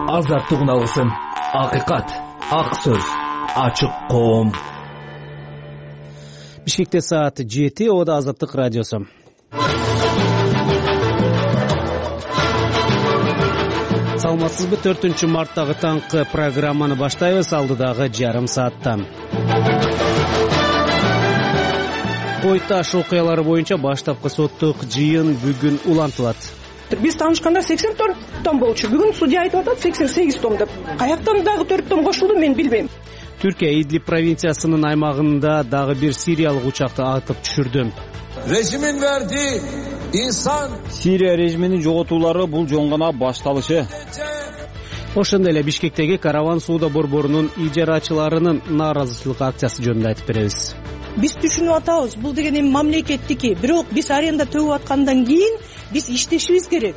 азаттык уналгысын, акыйкат, ак сөз, ачык коом. Бишкекте саат 7, Ода Азаттык радиосу. Саламатсызбы? 4-марттагы таңкы программаны баштайбыз. Алдыдагы жарым саатта Кой Таш окуялары боюнча баштапкы соттук жыйын бүгүн улантылат. Биз таанышканда 84 том болчу. Бүгүн судья айтып атат 88 том деп. Каяктан дагы 4 том кошулду, мен билбейм. Түркия Идлиб провинциясынын аймагында дагы бир сириялык учакты атып түшүрдү. Режимин верди инсан. Сирия режиминин жоготуулары бул жоңгона башталышы. Ошондой эле Бишкектеги караван соода борборунун ижарачыларынын нааразычылык акциясы жөнүндө айтып беребиз. Биз түшүнүп атабыз, бул деген эми мамлекеттики, бирок биз аренда төгүп аткандан кийин биз иштешибиз керек.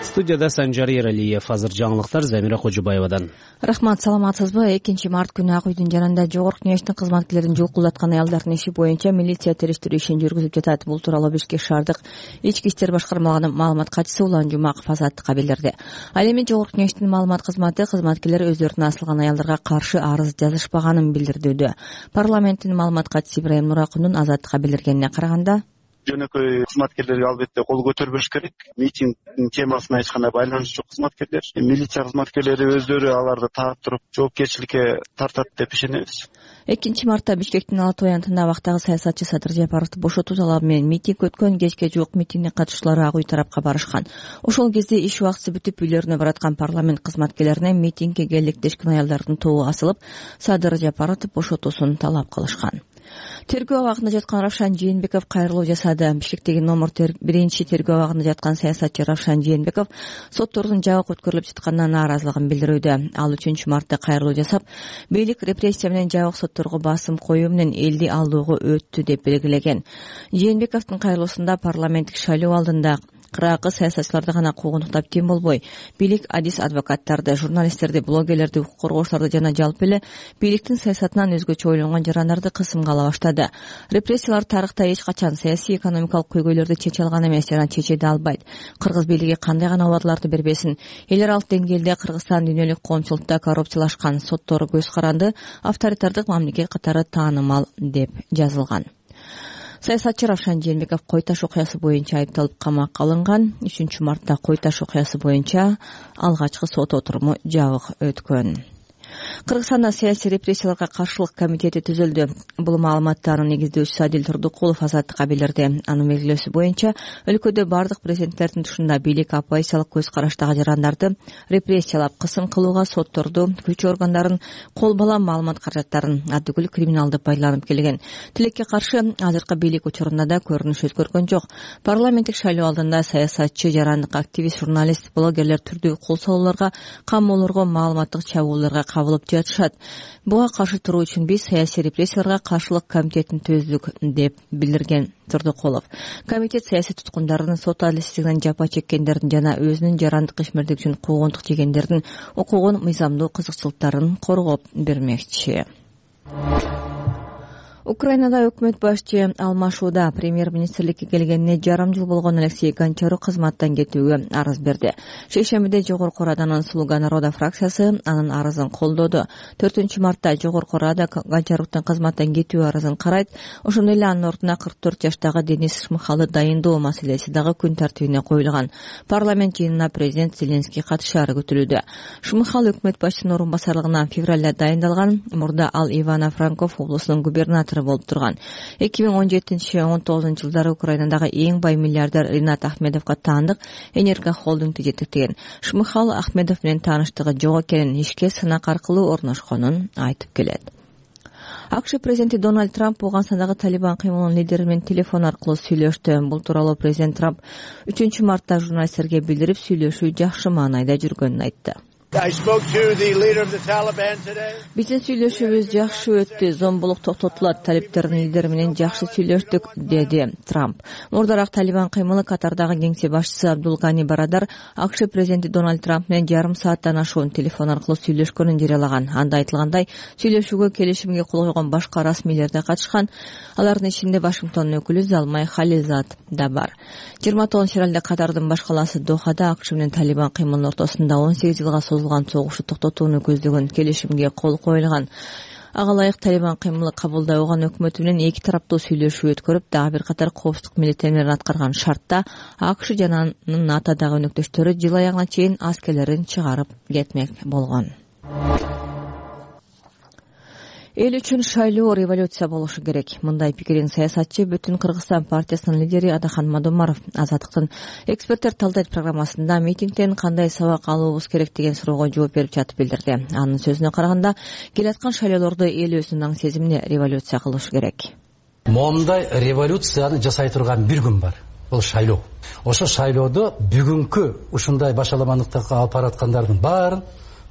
Студияда Санжар Ералиев. Азыр жаңылыктар Замира Кожубаевадан. Рахмат, саламатсызбы? 2-март күнү Ак үйдүн жанында Жогорку Кеңештин кызматкерлерин жолкулдаткан аялдардын иши боюнча милиция териштирүү ишин жүргүзүп жатат. Бул тууралуу Бишкек шаардык ички иштер башкармалыгынын маалымат катчысы Улан Жумаков Азаттыкка билдирди. Ал эми Жогорку Кеңештин маалымат кызматы кызматкерлер өздөрүнө асылган аялдарга каршы арыз жазышпаганын билдирүүдө. Парламенттин маалымат катчысы Ибрайым Нуракундун Азаттыкка билдиргенине караганда, жөнөкөй кызматкерлерге албетте кол көтөрбөш керек. Митингдин темасына эч кандай байланышы жок кызматкерлер. Милиция кызматкерлери өздөрү аларды таап туруп жоопкерчиликке тартат деп ишенебиз. 2-мартта Бишкектин Ала Той аянтында абактагы саясатчы Садыр Жапаровду бошотуу талабы менен митинг өткөн. Кечке жуук митингдин катышчылары Ак үй тарапка барышкан. Ошол кезде иш убактысы бүтүп үйлөрүнө бараткан парламент кызматкерлерине митингге келектешкен аялдардын тобу асылып, Садыр Жапаровду бошотуусун талап кылышкан. Тергөө абагында жаткан Равшан Жээнбеков кайрылуу жасады. Бишкектеги номер 1 тергөө абагында жаткан саясатчы Равшан Жээнбеков соттордун жабык өткөрүлүп жатканына нааразылыгын билдирүүдө. Ал 3-мартта кайрылуу жасап, бийлик репрессия менен жабык сотторго басым коюу менен элди алдоого өттү деп белгилеген. Жээнбековдун кайрылуусунда парламенттик шайлоо алдында кыракы саясатчыларды гана куугунтуктап кем болбой, бийлик адис адвокаттарды, журналисттерди, блогерлерди, укук коргоочуларды жана жалпы эле бийликтин саясатынан өзгөчө ойлонгон жарандарды кысымга ала баштады. Репрессиялар тарыхта эч качан саясий экономикалык көйгөйлөрдү чече алган эмес жана чече да албайт. Кыргыз бийлиги кандай гана убадаларды бербесин, эл аралык деңгээлде Кыргызстан дүйнөлүк коомчулукта коррупциялашкан, соттору көз каранды, авторитардык мамлекет катары таанымал деп жазылган. Саясатчы Равшан Жээнбеков Кой Таш окуясы боюнча айыпталып камакка алынган. 3-мартта Кой Таш окуясы боюнча алгачкы сот отуруму жабык өткөн. Кыргызстанда саясий репрессияларга каршылык комитети түзүлдү. Бул маалыматтардын негиздөөчүсү Адил Турдукулов Азаттыкка билдирди. Анын белгилөөсү боюнча өлкөдө бардык президенттердин тушунда бийлик оппозициялык көз караштагы жарандарды репрессиялап, кысым кылууга сотторду, күч органдарын, кол бала маалымат каражаттарын, аддыгүл криминалды пайдаланып келген. Тилекке каршы азыркы бийлик учурунда да көрүнүш өзгөргөн жок. Парламенттик шайлоо алдында саясатчы, жарандык активист, журналист, блогерлер түрдүү кол салууларга, камоолорго, маалыматтык чабуулдарга кабылып жатышат. Буга каршы туруу үчүн биз саясий репрессияларга каршылык комитетин түздүк деп билдирген Турдукулов. Комитет саясий туткундардын, сот адилетсиздигинен жапа чеккендердин жана өзүнүн жарандык ишмердиги үчүн куугунтук жегендердин укугун, мыйзамдуу кызыкчылыктарын коргоп бермекчи. Украинада өкмөт башчы алмашууда. Премьер-министрликке келгенине жарым жыл болгон Алексей Гончарук кызматтан кетүүгө арыз берди. Шейшембиде Жогорку Раданын Слуга народа фракциясы анын арызын колдоду. 4-мартта Жогорку Рада Гончаруктун кызматтан кетүү арызын карайт. Ошондой эле анын ордуна 44 жаштагы Денис Шмыхалы дайындоо маселеси дагы күн тартибине коюлган. Парламент жыйынына президент Зеленский катышаары күтүлүүдө. Шмыхалы өкмөт башчынын орун басарлыгына февралда дайындалган. Мурда ал Ивано-Франковск облусунун губернатору болуп турган. 2017-19 жылдары Украинадагы эң бай миллиардер Ринат Ахмедовго таандык Энерго холдингди жетектеген. Шмыхал Ахмедов менен тааныштыгы жок экенин, ишке сынак аркылуу орношконун айтып келет. АКШ президенти Дональд Трамп Ооганстандагы Талибан кыймылынын лидери менен телефон аркылуу сүйлөштү. Бул тууралуу президент Трамп 3-мартта журналисттерге билдирип, сүйлөшүү жакшы маанайда жүргөнүн айтты. Биздин сүйлөшүүбүз жакшы өттү, зомбулук токтотулат, талиптердин лидери менен жакшы сүйлөштүк, деди Трамп. Мурдараак Талибан кыймылы Катардагы кеңсе башчысы Абдул Гани Барадар АКШ президенти Дональд Трамп менен жарым сааттан ашуун телефон аркылуу сүйлөшкөнүн жарыялаган. Анда айтылгандай, сүйлөшүүгө келишимге кол койгон башка расмийлер да катышкан. Алардын ичинде Вашингтондун өкүлү Залмай Халилзад да бар. 29 февралда Катардын баш калаасы Дохада АКШ менен Талибан кыймылынын ортосунда 18 жылга созулган согушту токтотууну көздөгөн келишимге кол коюлган. Ага ылайык Талибан кыймылы кабылдай алган өкмөтү менен эки тараптуу сүйлөшүү өткөрүп, дагы бир катар коопсуздук милдеттенмелерин аткарган шартта АКШ жана анын НАТОдагы өнөктөштөрү жыл аягына чейин аскерлерин чыгарып кетмек болгон. Эл үчүн шайлоо революция болушу керек. Мындай пикирин саясатчы Бүтүн Кыргызстан партиясынын лидери Адахан Мадумаров Азаттыктын эксперттер талдайт программасында митингден кандай сабак алуубуз керек деген суроого жооп берип жатып билдирди. Анын сөзүнө караганда, келаткан шайлоолорду эл өзүнүн аң сезимине революция кылышы керек. Момундай революцияны жасай турган бир күн бар. Бул шайлоо. Ошо шайлоодо бүгүнкү ушундай башаламандыкка алып бараткандардын баарын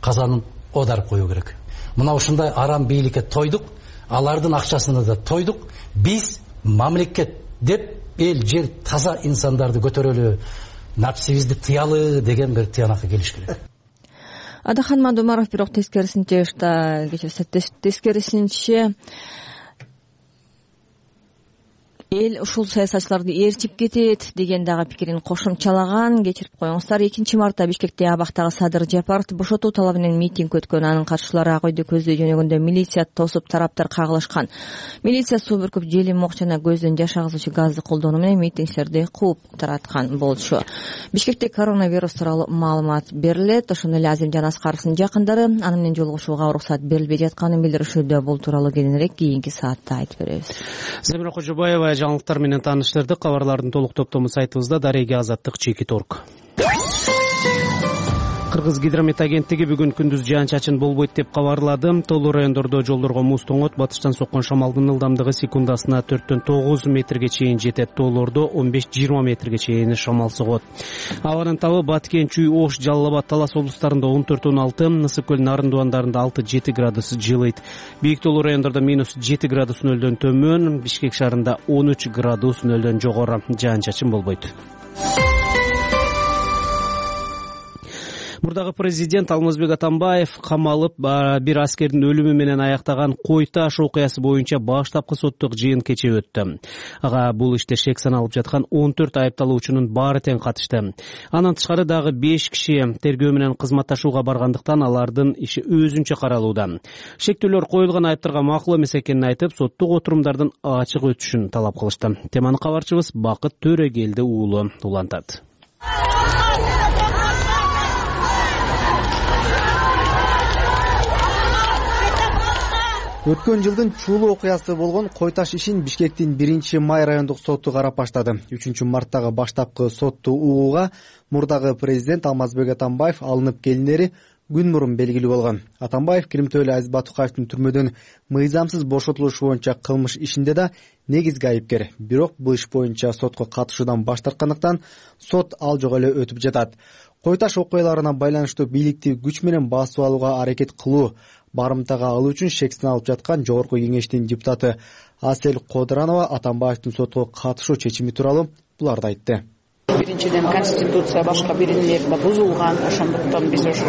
казанын оодарып коюу керек. Мына ушундай арам бийликке тойдук, алардын акчасына да тойдук. Биз мамлекет деп эл жер таза инсандарды көтөрөлү, напсибизди тыялы деген бир тыянакка келиш керек. Адахан Мадумаров бирок тескерисинче эл ушул саясатчыларды ээрчип кетет деген дагы пикирин кошумчалаган. Кечирип коюңуздар. 2 мартта Бишкекте абактагы Садыр Жапаровду бошотуу талабы менен митинг өткөн. Анын катышчылары ак үйдү көздөй жөнөгөндө милиция тосуп, тараптар кагылышкан. Милиция суу бүркүп, желим оқ жана көздөн жаш агызуучу газды колдонуу менен митингчилерди кууп тараткан болчу. Бишкекте коронавирус тууралуу маалымат берилет. Ошондой эле Азимжан Аскаровдун жакындары аны менен жолугушууга уруксат берилбей жатканын билдиришүүдө. Бул тууралуу кийинирээк кийинки саатта айтып беребиз. Замира Кожобаева жаңылыктар менен тааныштырдык. Кабарлардын толук топтому сайтыбызда. Дареге Азаттык Чеки.орг. Кыргыз гидромет агенттиги бүгүн күндүз жаан-чачын болбойт деп кабарлады. Тоолуу райондордо жолдорго муз тоңот, батыштан соккон шамалдын ылдамдыгы секундасына 4-9 метрге чейин жетет. Тоолордо 15-20 метрге чейин шамал согот. Абанын табы Баткен, Чүй, Ош, Жалал Абад, Талас облустарында 14-16, Нысык көл, Нарын дубандарында 6-7 градус жылыйт. Бийик тоолуу райондордо -7 градус нөлдөн төмөн, Бишкек шаарында 13 градус нөлдөн жогору. Жаан-чачын болбойт. Мурдагы президент Алмазбек Атамбаев камалып, бир аскердин өлүмү менен аяктаган Кой Таш окуясы боюнча баштапкы соттук жыйын кече өттү. Ага бул иште шек саналып жаткан 14 айыпталуучунун баары тең катышты. Андан тышкары дагы 5 киши тергөө менен кызматташууга баргандыктан алардын иши өзүнчө каралууда. Шектүүлөр коюлган айыптарга макул эмес экенин айтып, соттук отурумдардын ачык өтүшүн талап кылышты. Теманы кабарчыбыз Бакыт Төрөгелди уулу улантат. Өткөн жылдын чуулуу окуясы болгон Кой Таш ишин Бишкектин 1-май райондук соту карап баштады. 3-марттагы баштапкы сотту угууга мурдагы президент Алмазбек Атамбаев алынып келинери күн мурун белгилүү болгон. Атамбаев Киримтөөлү Азиз Батукаевдин түрмөдөн мыйзамсыз бошотулушу боюнча кылмыш ишинде да негизги айыпкер. Бирок бул иш боюнча сотко катышуудан баш тарткандыктан сот ал жок эле өтүп жатат. Кой Таш окуяларына байланыштуу бийликти күч менен басып алууга аракет кылуу, барымтага алуу үчүн шек саналып жаткан Жогорку кеңештин депутаты Асел Кодранова Атамбаевдин сотко катышуу чечими тууралуу буларды айтты. Биринчиден конституция башка биринелерде бузулган, ошондуктан биз ошо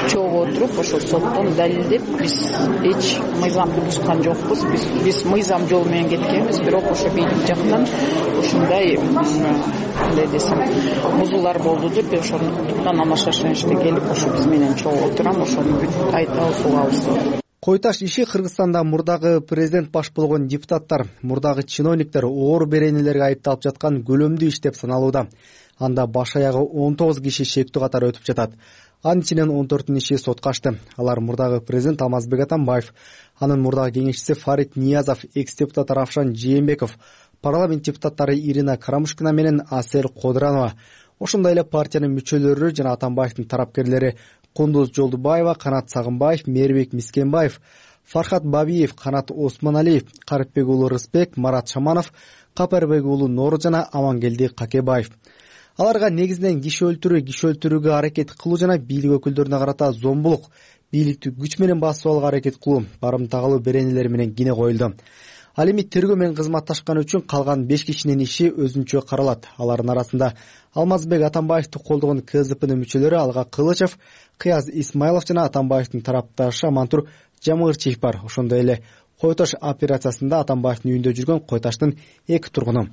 чогуу отуруп, ошо соттон далилдеп, биз эч мыйзамды бузган жокпуз. Биз мыйзам жолу менен кеткенбиз, бирок ошо бийлик жактан ушундай кандай десем, бузуулар болду деп, ошондуктан ана шашынычта келип, ошо биз менен чогуу отурам, ошону бүт айта сугабыз. Кой Таш иши Кыргызстанда мурдагы президент баш болгон депутаттар, мурдагы чиновниктер оор беренелерге айыпталып жаткан көлөмдүү иш деп саналууда. Анда баш аягы 19 киши шектүү катары өтүп жатат. Анын ичинен 14 иши сотко ачты. Алар мурдагы президент Алмазбек Атамбаев, анын мурдагы кеңешчиси Фарид Ниязов, экс-депутат Равшан Жээнбеков, парламент депутаттары Ирина Карамушкина менен Асел Кодранова, ошондой эле партиянын мүчөлөрү жана Атамбаевдин тарапкерлери Кундуз Жолдубаева, Канат Сагынбаев, Мээрбек Мискенбаев, Фархат Бабиев, Канат Осмоналиев, Карипбек уулу Рысбек, Марат Шаманов, Капарбек уулу Нору жана Амангелди Какебаев. Аларга негизинен киши өлтүрүүгө аракет кылуу жана бийлик өкүлдөрүнө карата зомбулук, бийликти күч менен басып алууга аракет кылуу, барымтагылуу беренелер менен кине коюлду. Ал эми тергөө менен кызматташканы үчүн калган 5 кишинин иши өзүнчө каралат. Алардын арасында Алмазбек Атамбаевди колдогон КСДПнын мүчөлөрү Алга Кылычев, Кыяз Исмайлов жана Атамбаевдин тарапташы Амантур Жамырчиев бар. Ошондой эле Кой Таш операциясында Атамбаевдин үйүндө жүргөн Кой Таштын 2 тургуну.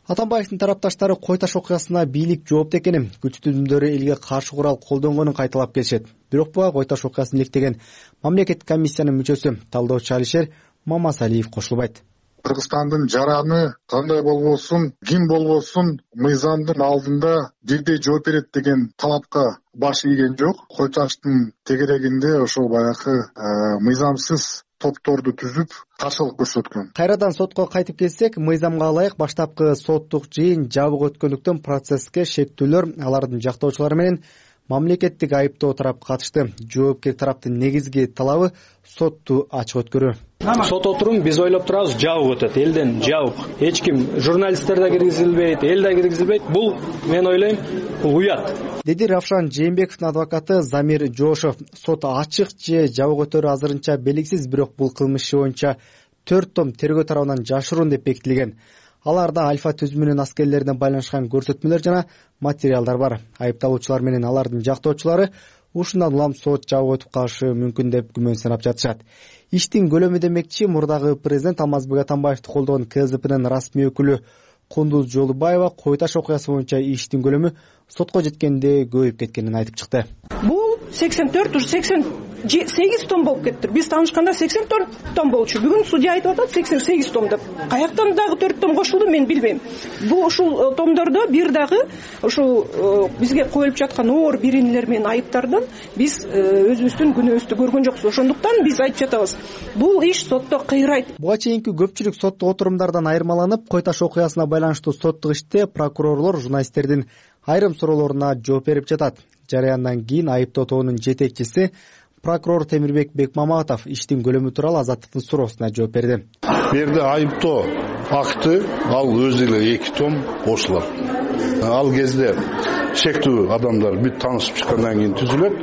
Атамбаевдин тарапташтары Кой Таш окуясына бийлик жоопту экенин, күч түзүмдөрү элге каршы курал колдонгонун кайталап келишет. Бирок буга Кой Таш окуясын иликтеген мамлекеттик комиссиянын мүчөсү талдоочу Алишер Мамасалиев кошулбайт. Кыргызстандын жараны кандай болбосун, ким болбосун мыйзамдын алдында бирдей жооп берет деген талапка баш ийген жок. Кой Таштын тегерегинде ошол баягы мыйзамсыз топторду түзүп каршылык көрсөткөн. Кайрадан сотко кайтып келсек, мыйзамга ылайык баштапкы соттук жыйын жабык өткөндүктөн процесске шектүүлөр алардын жактоочулары менен мамлекеттик айыптоо тарап катышты. Жоопкер тараптын негизги талабы сотту ачык өткөрүү. Сот отурум биз ойлоп турабыз жабык өтөт, элден жабык. Эч ким, журналисттер да киргизилбейт, эл да киргизилбейт. Бул мен ойлойм, бул уят. Деди Равшан Жээнбековдун адвокаты Замир Жошов. Сот ачык же жабык өтөрү азырынча белгисиз, бирок бул кылмыш иши боюнча 4 том тергөө тарабынан жашыруун деп бекитилген. Аларда Альфа түзүмүнүн аскерлерине байланышкан көрсөтмөлөр жана материалдар бар. Айыпталуучулар менен алардын жактоочулары ушундан улам сот жабык өтүп калышы мүмкүн деп күмөн санап жатышат. Иштин көлөмү демекчи, мурдагы президент Алмазбек Атамбаевди колдогон КСДПнын расмий өкүлү Кундуз Жолубаева Кой Таш окуясы боюнча иштин көлөмү сотко жеткенде көбөйүп кеткенин айтып чыкты. Бул 84 уже 88 том болуп кетти. Биз таанышканда 84 том болчу. Бүгүн судья айтып атат 88 том деп. Каяктан дагы 4 том кошулду мен билбейм. Бул ушул томдордо бир дагы ушул бизге коюлуп жаткан оор беренелер менен айыптардан биз өзүбүздүн күнөөбүздү көргөн жокпуз. Ошондуктан биз айтып жатабыз. Бул иш сотто кыйрайт. Буга чейинки көпчүлүк соттук отурумдардан айырмаланып, Кой Таш окуясына байланыштуу соттук иште прокурорлор журналисттердин айрым суроолоруна жооп берип жатат. Жараяндан кийин айыптоо тобунун жетекчиси прокурор Темирбек Бекмаматов иштин көлөмү тууралуу Азаттыктын суроосуна жооп берди. Бу жерде айыптоо акты ал өзү эле 2 том кошулат. Ал кезде шектүү адамдар бүт таанышып чыккандан кийин түзүлөт.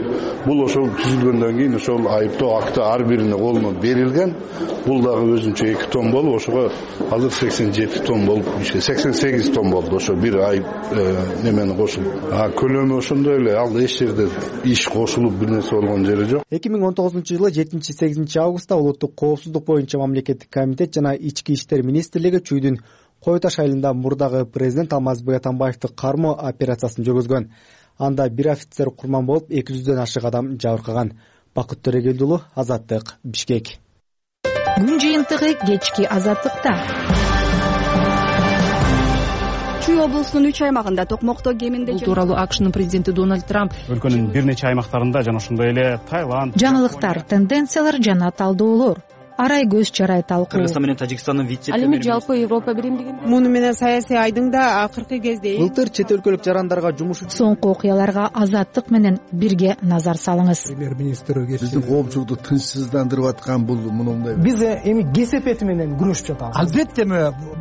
Бул ошол түзүлгөндөн кийин ошол айыптоо акты ар бирине колуна берилген. Бул дагы өзүнчө 2 том болуп, ошого азыр 87 том болуп, 88 том болду. Ошо бир айып немени кошулуп. Көлөмү ошондой эле, ал эч жерде иш кошулуп бир нерсе болгон жери жок. 2019-жылы 7-8 августта улуттук коопсуздук боюнча мамлекеттик комитет жана ички иштер министрлиги Чүйдүн Кой Таш айылында мурдагы президент Алмазбек Атамбаевди кармоо операциясын жүргүзгөн. Анда бир офицер курман болуп 200дөн ашык адам жабыркаган. Бакыт Төрөгелди уулу, Азаттык, Бишкек. Күн жыйынтыгы кечки Азаттыкта. Чүй облусунун 3 аймагында токмокто кеминде бул тууралуу АКШнын президенти Дональд Трамп өлкөнүн бир нече аймактарында жана ошондой эле Таиланд, жаңылыктар, тенденциялар жана талдоолор, арай көз чарай талкуу. Кыргызстан менен Тажикстандын ал эми жалпы Европа биримдиги муну менен саясий айдыңда акыркы кезде былтыр чет өлкөлүк жарандарга жумуш үчүн соңку окуяларга Азаттык менен бирге назар салыңыз. Премьер-министр биздин коопчулукту тынчсыздандырып аткан бул мындай. Биз эми кесепети менен күрөшүп жатабыз. Албетте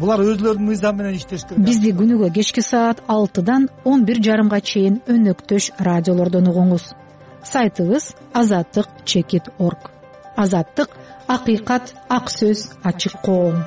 булар өзлөрүнүн мыйзамы менен иштеш керек. Бизди күнүгө кечки саат 6-дан 11:30 чейин өнөктөш радиолордон угуңуз. Сайтыбыз azattik.org. Азаттык — акыйкат, ак сөз, ачык коом.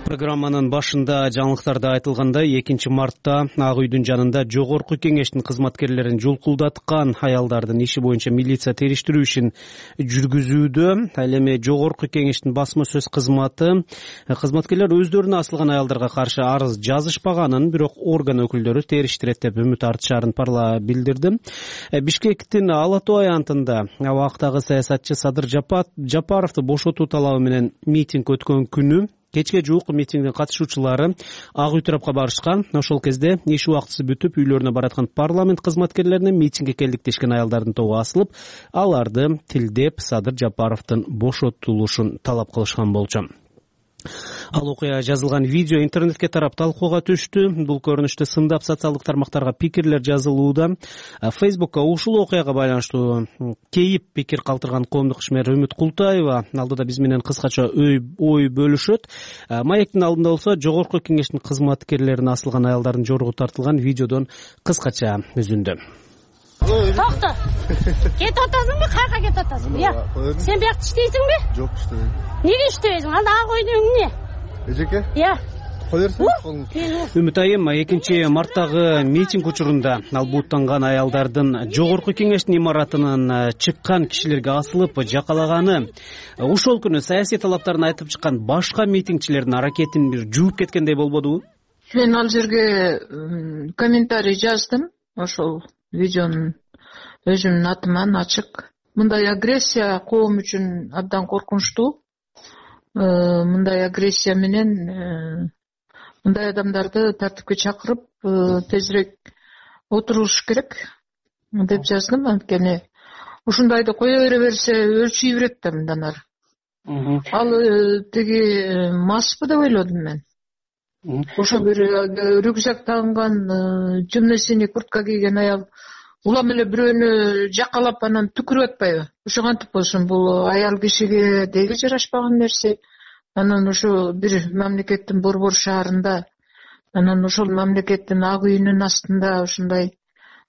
Программанын башында жаңылыктарда айтылгандай 2 мартта Ак үйдүн жанында жогорку кеңештин кызматкерлерин жулкулдаткан аялдардын иши боюнча милиция териштирүү ишин жүргүзүүдө. Ал эми жогорку кеңештин басма сөз кызматы кызматкерлер өздөрүнө асылган аялдарга каршы арыз жазышпаганын, бирок орган өкүлдөрү териштирет деп үмүт артышаарын парла билдирди. Бишкектин Ала Тоо аянтында абактагы саясатчы Садыр Жапаровду бошотуу талабы менен митинг өткөн күнү кечке жуук митингдин катышуучулары Ак үй тарапка барышкан. Ошол кезде иш убактысы бүтүп үйлөрүнө бараткан парламент кызматкерлерине митингге келдик дешкен аялдардын тобу асылып, аларды тилдеп Садыр Жапаровдун бошотулушун талап кылышкан болчу. Ал окуя жазылган видео интернетке тарап талкууга түштү. Бул көрүнүштү сындап социалдык тармактарга пикирлер жазылууда. Фейсбукка ушул окуяга байланыштуу кейип пикир калтырган коомдук ишмер Үмүт Култаева алдыда биз менен кыскача ой бөлүшөт. Маектин алдында болсо жогорку кеңештин кызматкерлерине асылган аялдардын жоругу тартылган видеодон кыскача үзүндү. Токто. Кетип атасыңбы? Каяка кетип атасың? Сен биякта иштейсиңби? Жок, иштебейм. Неге иштебейсиң? Анда ак ойдун эмне? Эжеке? Кой берсең. Үмүт айым 2-марттагы митинг учурунда ал бууттанган аялдардын жогорку кеңештин имаратынан чыккан кишилерге асылып жакалаганы, ошол күнү саясий талаптарын айтып чыккан башка митингчилердин аракетин бир жууп кеткендей болбодубу? Мен ал жерге комментарий жаздым. Ошол видеонун өзүмдүн атыман ачык. Мындай агрессия коом үчүн абдан коркунучтуу. Мындай агрессия менен мындай адамдарды тартипке чакырып тезирээк отуруш керек деп жаздым. Анткени ушундайды кое бере берсе өлчүй берет да мындан ары. Ал тиги маспы деп ойлодум мен. Ошо бир рюкзак тагынган, темно синий куртка кийген аял улам эле бирөөнү жакалап анан түкүрүп атпайбы? Ошо кантип болсун, бул аял кишиге деги жарашпаган нерсе. Анан ошо бир мамлекеттин борбор шаарында, анан ошол мамлекеттин ак үйүнүн астында ушундай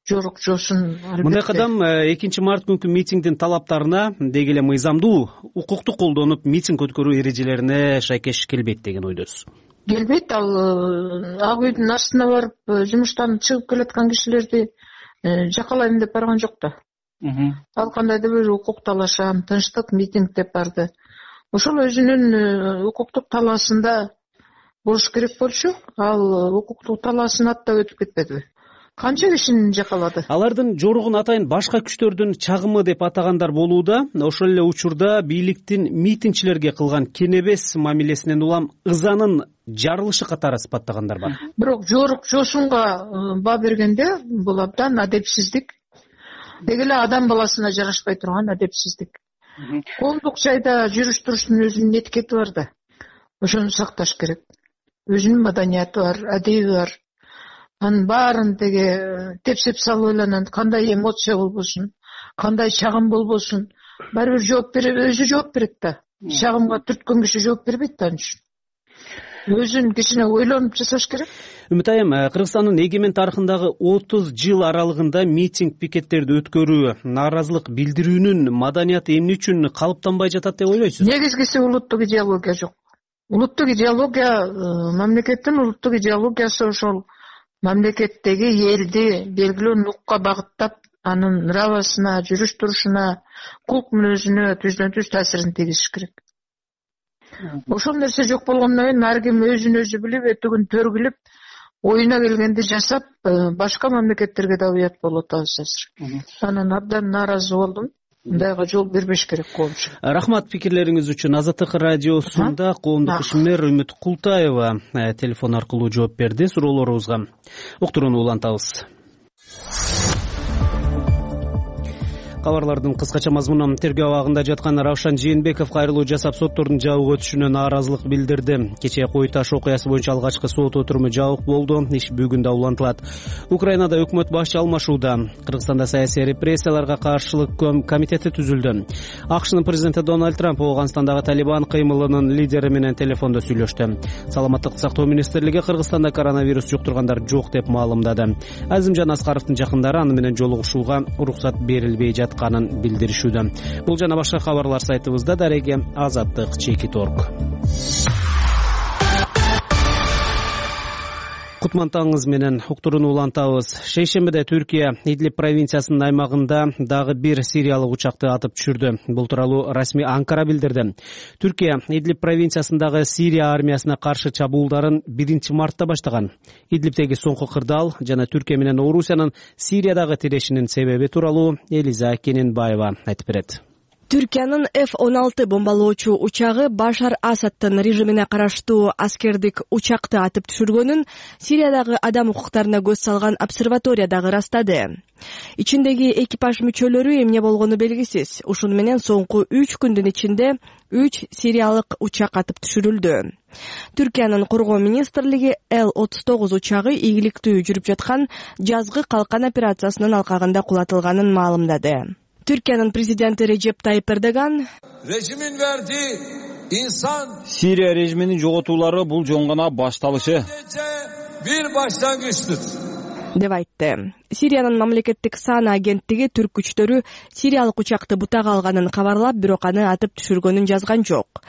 жорук жосун. Мындай кадам 2-март күнкү митингдин талаптарына деги эле мыйзамдуу, укукту колдонуп митинг өткөрүү эрежелерине шайкеш келбейт деген ойдосуз. Келбейт. Ал ак үйдүн астына барып жумуштан чыгып келаткан кишилерди жакалайм деп барган жок да. Ал кандайдыр бир укук талашам, тынчтык митинг деп барды. Ошол өзүнүн укуктук талаасында болуш керек болчу. Ал укуктук талаасын аттап өтүп кетпедиби? Канча кишини жакалады? Алардын жоругун атайын башка күчтөрдүн чагымы деп атагандар болууда. Ошол эле учурда бийликтин митингчилерге кылган кенебес мамилесинен улам ызанын жарылышы катары сыпаттагандар бар. Бирок жорук жосунга баа бергенде бул абдан адепсиздик. Деги эле адам баласына жарашпай турган адепсиздик. Коомдук жайда жүрүш туруштун өзүнүн этикети бар да. Ошону сакташ керек. Өзүнүн маданияты бар, адеби бар. Анын баарын теге тепсеп салып ойлонот, кандай эмоция болбосун, кандай чагым болбосун, баары бир жооп берет, өзү жооп берет да. Чагымга түрткөн киши жооп бербейт да. Өзүн кичине ойлонуп жасаш керек. Үмүт айым, Кыргызстандын эгемен тарыхындагы 30 жыл аралыгында митинг пикеттерди өткөрүү, нааразылык билдирүүнүн маданияты эмне үчүн калыптанбай жатат деп ойлойсуз? Негизгиси улуттук идеология жок. Улуттук идеология, мамлекеттин улуттук идеологиясы ошол мамлекеттеги элди белгилүү нукка багыттап, анын нравасына, жүрүш турушуна, кулк мүнөзүнө түздөн-түз таасирин тийгизиш керек. Ошол нерсе жок болгондон кийин ар ким өзүн өзү билип, этүгүн төргүлүп, оюна келгенди жасап, башка мамлекеттерге да уят болуп атабыз азыр. Анан абдан нааразы болдум. Мындайга жол бербеш керек коомчу. Рахмат пикирлериңиз үчүн. Азаттык радиосунда коомдук ишмер Үмүт Култаева телефон аркылуу жооп берди суроолорубузга. Уктурууну улантабыз. Кабарлардын кыскача мазмуну: тергөө абагында жаткан Равшан Жээнбеков кайрылуу жасап соттордун жабык өтүшүнө нааразылык билдирди. Кечээ Кой Таш окуясы боюнча алгачкы сот отуруму жабык болду. Иш бүгүн да улантылат. Украинада өкмөт башчы алмашууда. Кыргызстанда саясий репрессияларга каршылык комитети түзүлдү. АКШнын президенти Дональд Трамп Ооганстандагы Талибан кыймылынын лидери менен телефондо сүйлөштү. Саламаттык сактоо министрлиги Кыргызстанда коронавирус жуктургандар жок деп маалымдады. Азимжан Аскаровдун жакындары аны менен жолугушууга уруксат берилбей канын билдиришүүдө. Бул жана башка кабарлар сайтыбызда. Дареге Азаттык Чекит.орг. Кутмантаңыз менен уктурууну улантабыз. Шейшембиде Түркия Идлиб провинциясынын аймагында дагы бир сириялык учакты атып түшүрдү. Бул тууралуу расмий Анкара билдирди. Түркия Идлиб провинциясындагы Сирия армиясына каршы чабуулдарын 1-мартта баштаган. Идлибтеги соңку кырдаал жана Түркия менен Орусиянын Сириядагы тирешинин себеби тууралуу Элиза Кененбаева айтып берет. Түркиянын F-16 бомбалоочу учагы Башар Асадтын режимине караштуу аскердик учакты атып түшүргөнүн Сириядагы адам укуктарына көз салган обсерватория дагы ырастады. Ичиндеги экипаж мүчөлөрү эмне болгону белгисиз. Ушуну менен соңку 3 күндүн ичинде 3 сириялык учак атып түшүрүлдү. Түркиянын коргоо министрлиги Л-39 учагы ийгиликтүү жүрүп жаткан жазгы калкан операциясынын алкагында кулатылганын маалымдады. Türkiye'nin prezidenti Recep Tayyip Erdogan rejimin verdiği insan Siriya rejiminin жоготуулары бул жөн гана башталышы. Bir başlangıçtır. деп айтты. Сириянын мамлекеттик саана агенттиги түрк күчтөрү сириялык учакты бутага алганын кабарлап, бирок аны атып түшүргөнүн жазган жок.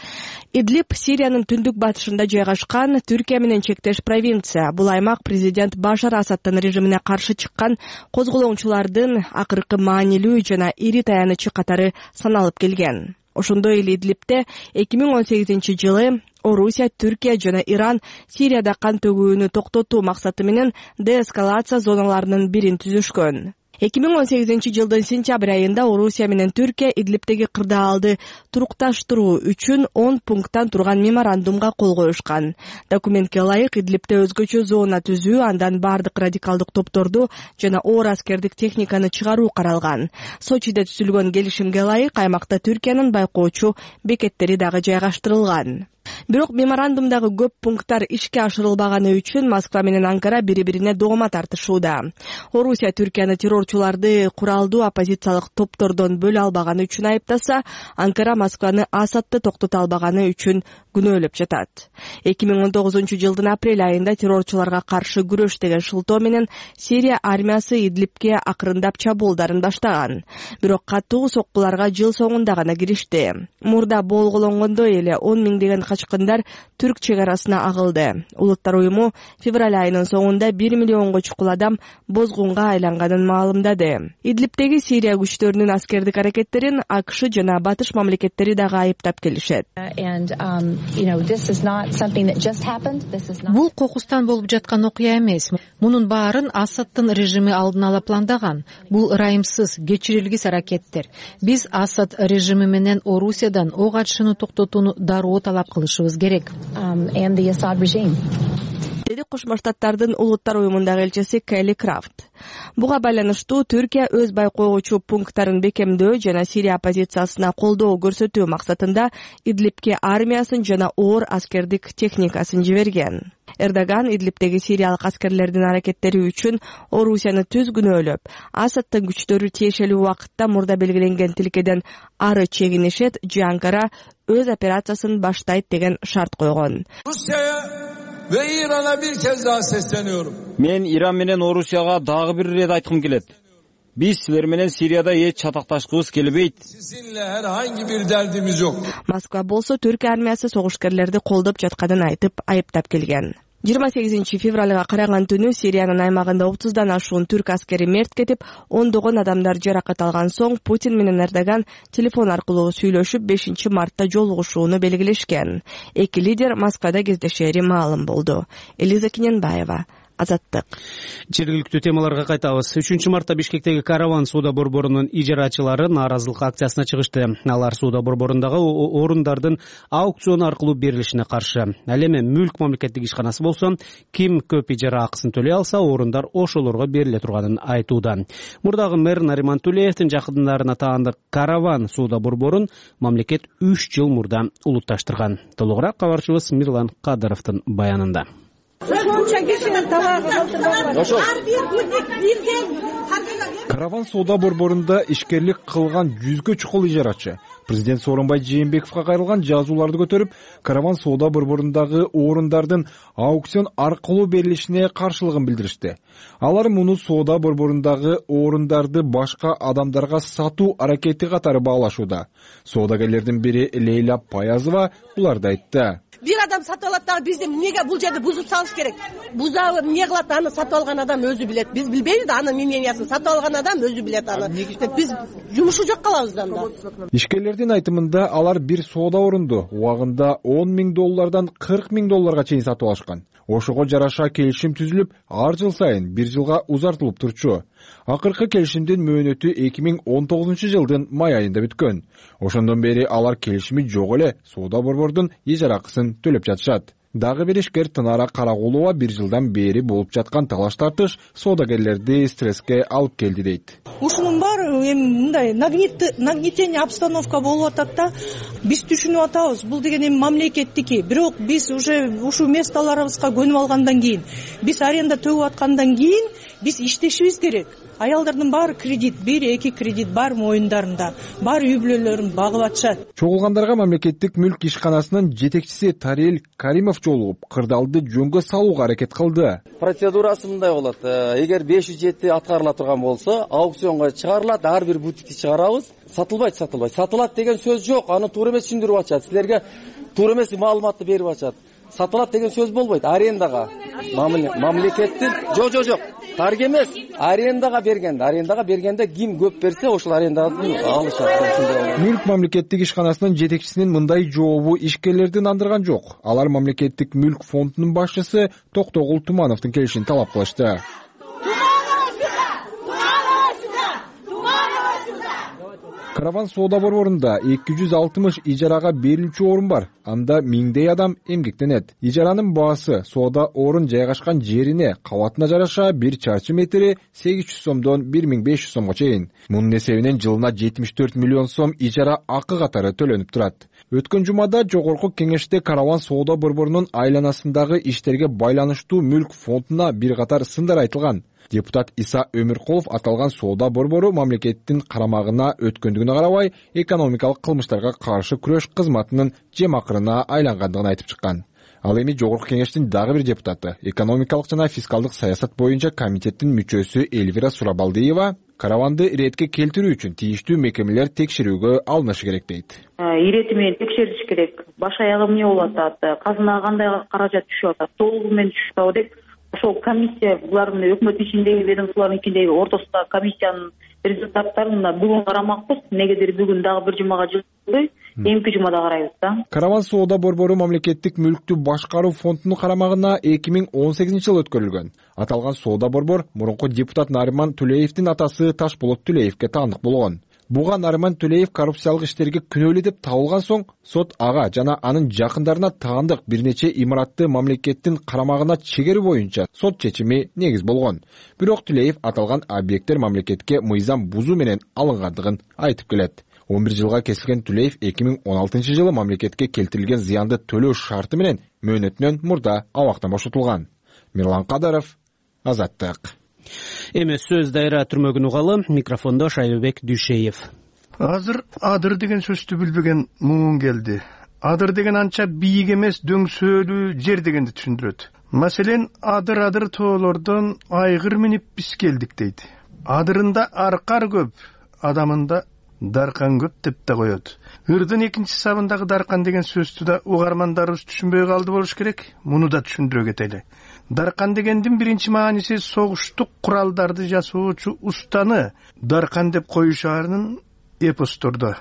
Идлиб Сириянын түндүк батышында жайгашкан Түркия менен чектеш провинция. Бул аймак президент Башар Асадтын режимине каршы чыккан козголоочулардын акыркы маанилүү жана ири таянычы катары саналып келген. Ошондой эле Идлибте 2018-жылы Орусия, Түркия жана Иран Сирияда кан төгүүнү токтотуу максаты менен деэскалация зоналарынын бирин түзүшкөн. 2018-жылдын сентябрь айында Орусия менен Түркия Идлибтеги кырдаалды турукташтыруу үчүн 10 пункттан турган меморандумга кол коюшкан. Документке ылайык Идлибте өзгөчө зона түзүү, андан бардык радикалдык топторду жана оор аскердик техниканы чыгаруу каралган. Сочиде түзүлгөн келишимге ылайык аймакта Түркиянын байкоочу бекеттери дагы жайгаштырылган. Бирок меморандумдагы көп пункттар ишке ашырылбаганы үчүн Москва менен Анкара бири-бирине доoma тартышууда. Орусия Түркияны террорчуларды куралдуу оппозициялык топтордон бөлө албаганы үчүн айыптаса, Анкара Москваны Асадты токтото албаганы үчүн күнөөлөп жатат. 2019-жылдын апрель айында террорчуларга каршы күрөш деген шылтоо менен Сирия армиясы Идлибке акырындап чабуулдарын баштаган. Бирок катуу соккуларга жыл соңунда гана киришти. Мурда болгологондой эле 10 миңдеген качкындар Түрк чек арасына агылды. Улуттар уюму февраль айынын соңунда 1 миллионго чукул адам бозгунга айланганын маалымдады. Идлибтеги Сирия күчтөрүнүн аскердик аракеттерин АКШ жана батыш мамлекеттери дагы айыптап келишет. Бул кокустан болуп жаткан окуя эмес. Мунун баарын Асадтын режими алдын ала пландаган. Бул ырайымсыз, кечирилгис аракеттер. Биз Асад режими менен Орусиядан ок атышууну токтотууну дароо талап кылышыбыз керек. Деди Кошмо Штаттардын улуттар уюмундагы элчиси Келли Крафт. Буга байланыштуу Түркия өз байкоочу пункттарын бекемдөө жана Сирия оппозициясына колдоо көрсөтүү максатында Идлибке армиясын жана оор аскердик техникасын жиберген. Эрдоган Идлибтеги сириялык аскерлердин аракеттери үчүн Орусияны түз күнөөлөп, Асадтын күчтөрү тиешелүү убакытта мурда белгиленген тилкеден ары чегинишет же Анкара өз операциясын баштайт деген шарт койгон. Ve İran'a bir kez daha sesleniyorum. Men İran менен Орусияга дагы бир рет айткым келет. Биз силер менен Сирияда эч чатакташкыбыз келбейт. Sizinle herhangi bir derdimiz yok. Москва болсо Түрк армиясы согушкерлерди колдоп жатканын айтып, айыптап келген. 28 февралга караган түнү Сириянын аймагында 30дан ашуун түрк аскери мерт кетип, ондогон адамдар жаракат алган соң Путин менен Эрдоган телефон аркылуу сүйлөшүп 5 мартта жолугушууну белгилешкен. Эки лидер Москвада кездешери маалым болду. Элиза Кененбаева, Азаттык. Жергиликтүү темаларга кайтабыз. 3 мартта Бишкектеги Караван соода борборунун ижарачылары нааразылык акциясына чыгышты. Алар соода борборундагы орундардын аукцион аркылуу берилишине каршы. Ал эми Мүлк мамлекеттик ишканасы болсо, ким көп ижара акысын төлөй алса, орундар ошолорго бериле турганын айтууда. Мурдагы мэр Нариман Тулеевдин жакындарына таандык Караван соода борборун мамлекет 3 жыл мурда улутташтырган. Толугураак кабарчыбыз Мирлан Кадыровдун баянында. Караван соода борборунда ишкерлик кылган 100гө чукул ижарачы президент Сооронбай Жээнбековго кайрылган жазууларды көтөрүп, Караван соода борборундагы орундардын аукцион аркылуу берилишине каршылыгын билдиришти. Алар муну соода борборундагы орундарды башка адамдарга сатуу аракети катары баалашууда. Соодагерлердин бири Лейла Паязова буларды айтты. Bir adam satып алат дагы бизди эмнеге бул жерде бузуп салыш керек? Бузабы эмне кылат, аны сатып алган адам өзү билет. Биз билбейбиз, анын мнениясын сатып алган адам өзү билет аны. Биз жумушу жок калабыз анда. Ишкерлердин Кумкундардын айтымында алар бир соода орунду убагында $10,000 $40,000 чейин сатып алышкан. Ошого жараша келишим түзүлүп, ар жыл сайын 1 жылга узартылып турчу. Акыркы келишимдин мөөнөтү 2019 жылдын май айында бүткөн. Ошондон бери алар келишими жок эле соода борбордун ижара акысын төлөп жатышат. Дагы бир ишкер Тынара Карагулова 1 жылдан бери болуп жаткан талаш тартыш соодагерлерди стресске алып келди дейт. Ушунун баары эми мындай нагнетение обстановка болуп атат да. Биз түшүнүп атабыз, бул деген эми мамлекеттики. Бирок биз уже ушул месталарыбызга көнүп алгандан кийин, биз аренда төлөп аткандан кийин биз иштешибиз керек. Аялдардын баары кредит, 1-2 кредит бар моюндарында, бар үй бүлөлөрүн багып атышат. Чогулгандарга мамлекеттик мүлк ишканасынын жетекчиси Тарел Каримов жолугуп, кырдаалды жөнгө салууга аракет кылды. Процедурасы мындай болот. Эгер 507 аткарыла турган болсо, аукционго чыгарылат, ар бир бутикти чыгарабыз. Сатылбайт. Сатылат деген сөз жок. Аны туура эмес түшүндүрүп атышат. Силерге туура эмес маалыматты берип атышат. Сатылат деген сөз болбойт. Арендага мамлекеттин жок. Тарг эмес, арендага бергенде ким көп берсе, ошол аренданы алышат. Мүлк мамлекеттик ишканасынын жетекчисинин мындай жообу ишкерлерди нандырган жок. Алар мамлекеттик мүлк фондунун башчысы Токтогул Тумановдун келишин талап кылышты. Караван соода борборунда 260 ижарага берилүүчү орун бар. Анда миңдей адам эмгектенет. Ижаранын баасы соода орун жайгашкан жерине, кабатына жараша 1 чарчы метри 800 сомдон 1500 сомго чейин. Мунун эсебинен жылына 74 миллион сом ижара акы катары төлөнүп турат. Өткөн жумада жогорку кеңеште Караван соода борборунун айланасындагы иштерге байланыштуу мүлк фондуна бир катар сындар айтылган. Депутат Иса Өмүркулов аталган соода борбору мамлекеттин карамагына өткөндүгүнө карабай, экономикалык кылмыштарга каршы күрөш кызматынын жемакырына айлангандыгын айтып чыккан. Ал эми жогорку кеңештин дагы бир депутаты, экономикалык жана фискалдык саясат боюнча комитеттин мүчөсү Эльвира Сурабалдиева караванды иретке келтирүү үчүн тийиштүү мекемелер текшерүүгө алынышы керек дейт. Ирети менен текшериш керек. Баш аягы эмне болуп атат? Казынага кандай каражат түшүп атат? Толугу менен түшүп атабы деп ошол комиссия булардын өкмөт ичиндеги ведомстволордун ичиндеги ортосундагы комиссиянын результаттарын бүгүн карамакпыз. Негедир бүгүн дагы бир жумага жылбой, эмки жумада карайбыз да. Караван соода борбору мамлекеттик мүлктү башкаруу фондунун карамагына 2018-жылы өткөрүлгөн. Аталган соода борбор мурунку депутат Нариман Төлеевдин атасы Ташболот Төлеевге таандык болгон. Буга Нариман Төлеев коррупциялык иштерге күнөөлүү деп табылган соң, сот ага жана анын жакындарына таандык бир нече имаратты мамлекеттин карамагына чегерүү боюнча сот чечими негиз болгон. Бирок Төлеев аталган объекттер мамлекетке мыйзам бузуу менен алынгандыгын айтып келет. 11 жылга кесилген Төлеев 2016-жылы мамлекетке келтирилген зыянды төлөө шарты менен мөөнөтүнөн мурда абактан бошотулган. Мирлан Кадаров, Азаттык. Эми сөз дайра түрмөгүн угалы, микрофондо Шайбек Дүйшеев. Азыр адыр деген сөздү билбеген муун келди. Адыр деген анча бийик эмес, дөңсөөлүү жер дегенди түшүндүрөт. Маселен, адыр тоолордон айгыр минип биз келдик дейт. Адырында аркар көп, адамында даркан көп деп да коет. Ырдын экинчи сабындагы даркан деген сөздү да угармандарыбыз түшүнбөй калды болуш керек. Муну да түшүндүрө кетели. Даркан дегендин биринчи мааниси согуштук куралдарды жасоочу устаны даркан деп коюшаарын эпостордо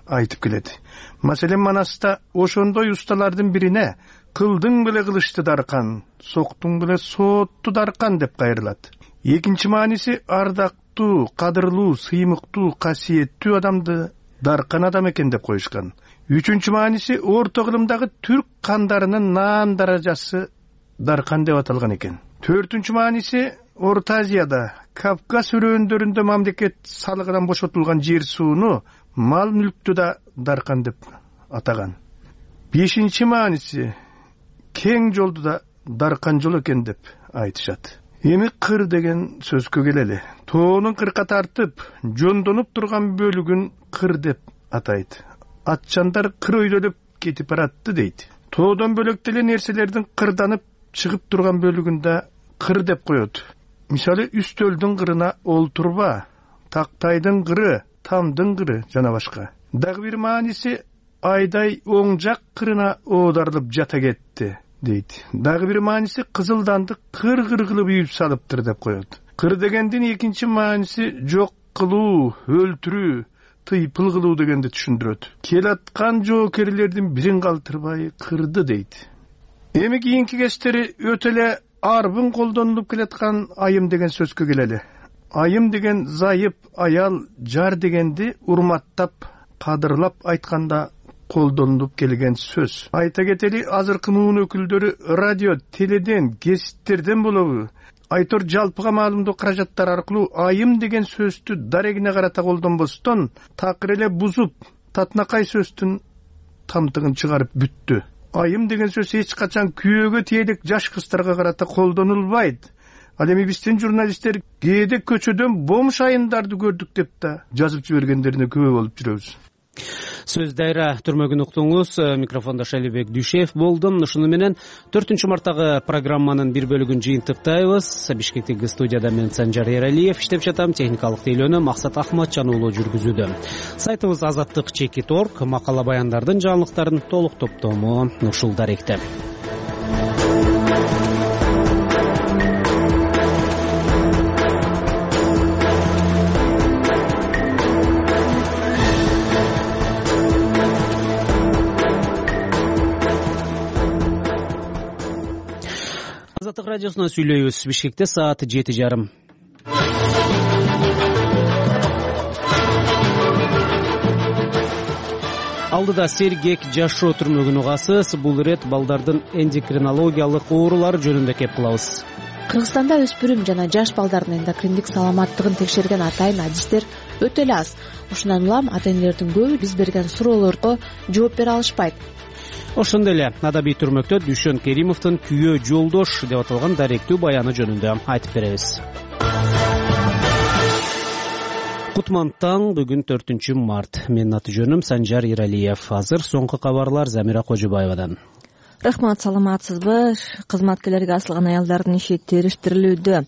айтып келет. Маселен, Манаста ошондой усталардын бирине кылдың беле кылычты даркан, соктуң беле соотту даркан деп кайрылат. Экинчи мааниси ардактуу, кадырлуу, сыймыктуу, касиеттүү адамды даркан адам экен деп коюшкан. Үчүнчү мааниси орто кылымдагы түрк кандарынын наан даражасы даркан деп аталган экен. Төртүнчү мааниси Орто Азияда, Кавказ өрөөндөрүндө мамлекет салыгынан бошотулган жер сууну, мал мүлктү да даркан деп атаган. Бешинчи мааниси кең жолду да даркан жол экен деп айтышат. Эми кыр деген сөзгө келели. Тоонун кырка тартып, жондонуп турган бөлүгүн кыр деп атайт. Атчандар кыр өйдөлөп кетип баратты дейт. Тоодон бөлөк деле нерселердин кырданып чыгып турган бөлүгүндө кыр деп коет. Мисалы, үстөлдүн кырына олтурба, тактайдын кыры, тамдын кыры жана башка. Дагы бир мааниси айдай оң жак кырына оодарылып жата кетти дейт. Дагы бир мааниси кызылданды кыр-кыр кылып үйүп салыптыр деп коет. Кыр дегендин экинчи мааниси жок кылуу, өлтүрүү, тыйпыл кылуу дегенди түшүндүрөт. Келаткан жоокерлердин бирин калтырбай кырды дейт. Эми кийинки кечтери өтө эле арбын колдонулуп келаткан айым деген сөзгө келели. Айым деген зайып аял, жар дегенди урматтап, кадырлап айтканда колдонулуп келген сөз. Айта кетели, азыркы муун өкүлдөрү радио, теледен, гезиттерден болобу, айтор жалпыга маалымдоо каражаттары аркылуу айым деген сөздү дарегине карата колдонбостон, такыр эле бузуп, татынакай сөздүн тамтыгын чыгарып бүттү. Айым деген сөз эч качан күйөөгө тиелик жаш кыздарга карата колдонулбайт. Ал эми биздин журналисттер кээде көчөдөн бомж айымдарды көрдүк деп да жазып жибергендерине күбө болуп жүрөбүз. Сөз дайра түрмөгүн уктуңуз. Микрофондо Шалибек Дүйшев болдум. Ушуну менен 4 марттагы программанын бир бөлүгүн жыйынтыктайбыз. Бишкектеги студияда мен Санжар Эралиев иштеп жатам. Техникалык тейлөөнү Максат Ахматжан уулу жүргүзүүдө. Сайтыбыз azаттык.org макала баяндардын жаңылыктарын толук топтому ушул даректе. Азаттык радиосунан сүйлөйбүз. Бишкекте саат 7:30. Алдыда сергек жашоо түрмөгүн угасыз. Бул ирет балдардын эндокринологиялык оорулары жөнүндө кеп кылабыз. Кыргызстанда өспүрүм жана жаш балдардын эндокриндик саламаттыгын текшерген атайын адистер өтө эле аз. Ушундан улам ата-энелердин көбү биз берген суроолорго жооп бере алышпайт. Ошондой эле адабий түрмөктө Дүйшөн Керимовдун Күйөө жолдош деп аталган даректүү баяны жөнүндө айтып беребиз. Кутман таң, бүгүн 4 март. Менин аты жөнүм Санжар Эралиев. Азыр соңку кабарлар Замира Кожобаевадан. Рахмат, саламатсызбы? Кызматкерлерге асылган аялдардын иши териштирилүүдө.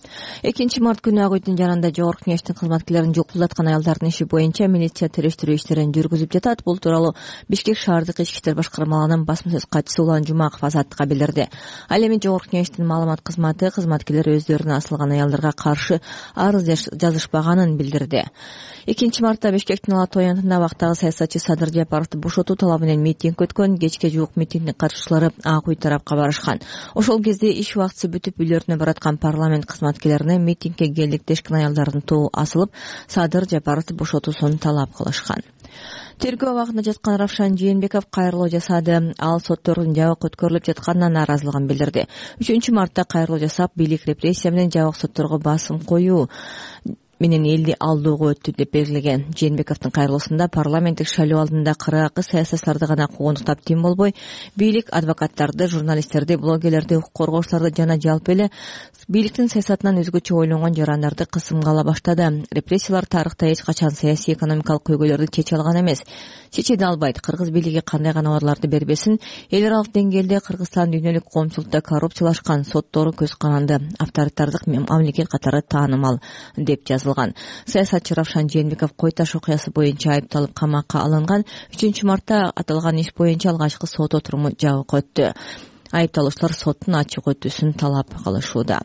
2 март күнү Ак үйдүн жанында жогорку кеңештин кызматкерлерин жокулдаткан аялдардын иши боюнча милиция териштирүү иштерин жүргүзүп жатат. Бул тууралуу Бишкек шаардык ички иштер башкармалыгынын басма сөз катчысы Улан Жумаков Азаттыкка билдирди. Ал эми жогорку кеңештин маалымат кызматы кызматкерлер өздөрүнө асылган аялдарга каршы арыз жазышпаганын билдирди. 2 мартта Бишкектин Ала Тоо аянтында вактагы саясатчы Садыр Жапаровду бошотуу талабы менен митинг өткөн. Кечке жуук митингдин катышуучулары Ак үй тарапка барышкан. Ошол кезде иш убактысы бүтүп үйлөрүнө бараткан парламент кызматкерлерине митингге келдик дешкен аялдардын тобу асылып, Садыр Жапаровду бошотуусун талап кылышкан. Тергөө абагында жаткан Равшан Жээнбеков кайрылуу жасады. Ал соттордун жабык өткөрүлүп жатканына нааразылыгын билдирди. 3 мартта кайрылуу жасап, бийлик репрессия менен жабык сотторго басым коюу менен элди алдоого өттү деп белгилеген. Жээнбековдун кайрылуусунда парламенттик шайлоо алдында кыргакы саясатчыларды гана куугунтуктап тим болбой, бийлик адвокаттарды, журналисттерди, блогерлерди, укук коргоочуларды жана жалпы эле бийликтин саясатынан өзгөчө ойлонгон жарандарды кысымга ала баштады. Репрессиялар тарыхта эч качан саясий экономикалык көйгөйлөрдү чече алган эмес. Чече да албайт. Кыргыз бийлиги кандай гана убадаларды бербесин, эл аралык деңгээлде Кыргызстан дүйнөлүк коомчулукта коррупциялашкан, соттору көз каранды, авторитардык мамлекет катары таанымал деп жазылган. Саясатчы Равшан Жээнбеков Кой Таш окуясы боюнча айыпталып камакка алынган. 3 мартта аталган иш боюнча алгачкы сот отуруму жабык өттү. Айыпталуучулар соттун ачык өтүүсүн талап кылышууда.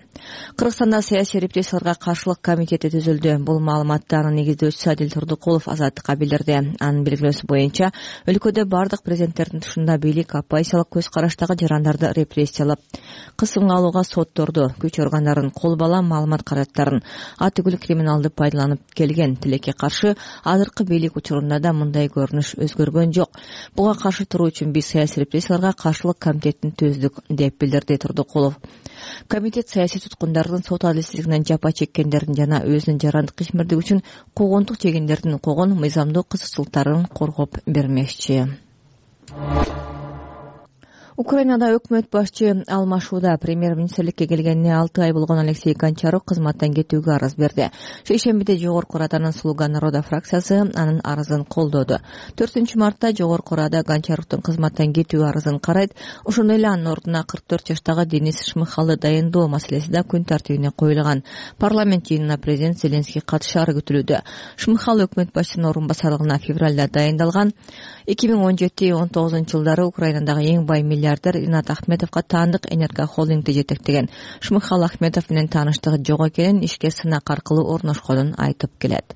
Кыргызстанда саясий репрессияларга каршылык комитети түзүлдү. Бул маалыматты анын негиздөөчүсү Адил Турдукулов Азаттыкка билдирди. Анын белгилөөсү боюнча, өлкөдө бардык президенттердин тушунда бийлик оппозициялык көз караштагы жарандарды репрессиялап, кысымга алууга сотторду, күч органдарын, кол бала маалымат каражаттарын атүгүл криминалды пайдаланып келген. Тилекке каршы азыркы бийлик учурунда да мындай көрүнүш өзгөргөн жок. Буга каршы туруу үчүн биз саясий репрессияларга каршылык комитетин түздүк деп билдирди Турдукулов. Комитет саясий туткундардын сот адилсиздигинен жапа чеккендердин жана өзүнүн жарандык ишмердиги үчүн куугунтук жегендердин укугун, мыйзамдуу кызыкчылыктарын коргоп бермекчи. Украинада өкмөт башчы алмашууда. Премьер-министрликке келгенине 6 ай болгон Алексей Гончарук кызматтан кетүүгө арыз берди. Шейшембиде Жогорку Раданын Слуга народа фракциясы анын арызын колдоду. 4 мартта Жогорку Рада Гончаруктун кызматтан кетүү арызын карайт. Ошондой эле анын ордуна 44 жаштагы Денис Шмыхалды дайындоо маселеси да күн тартибине коюлган. Парламент жыйынына президент Зеленский катышары күтүлүүдө. Шмыхал өкмөт башчынын орун басарлыгына февралда дайындалган. 2017-19 жылдары Украинадагы эң бай миллиардер Ринат Ахметовго таандык энергохолдингди жетектеген. Шмыхал Ахметов менен тааныштыгы жок экенин, ишке сынак аркылуу орношконун айтып келет.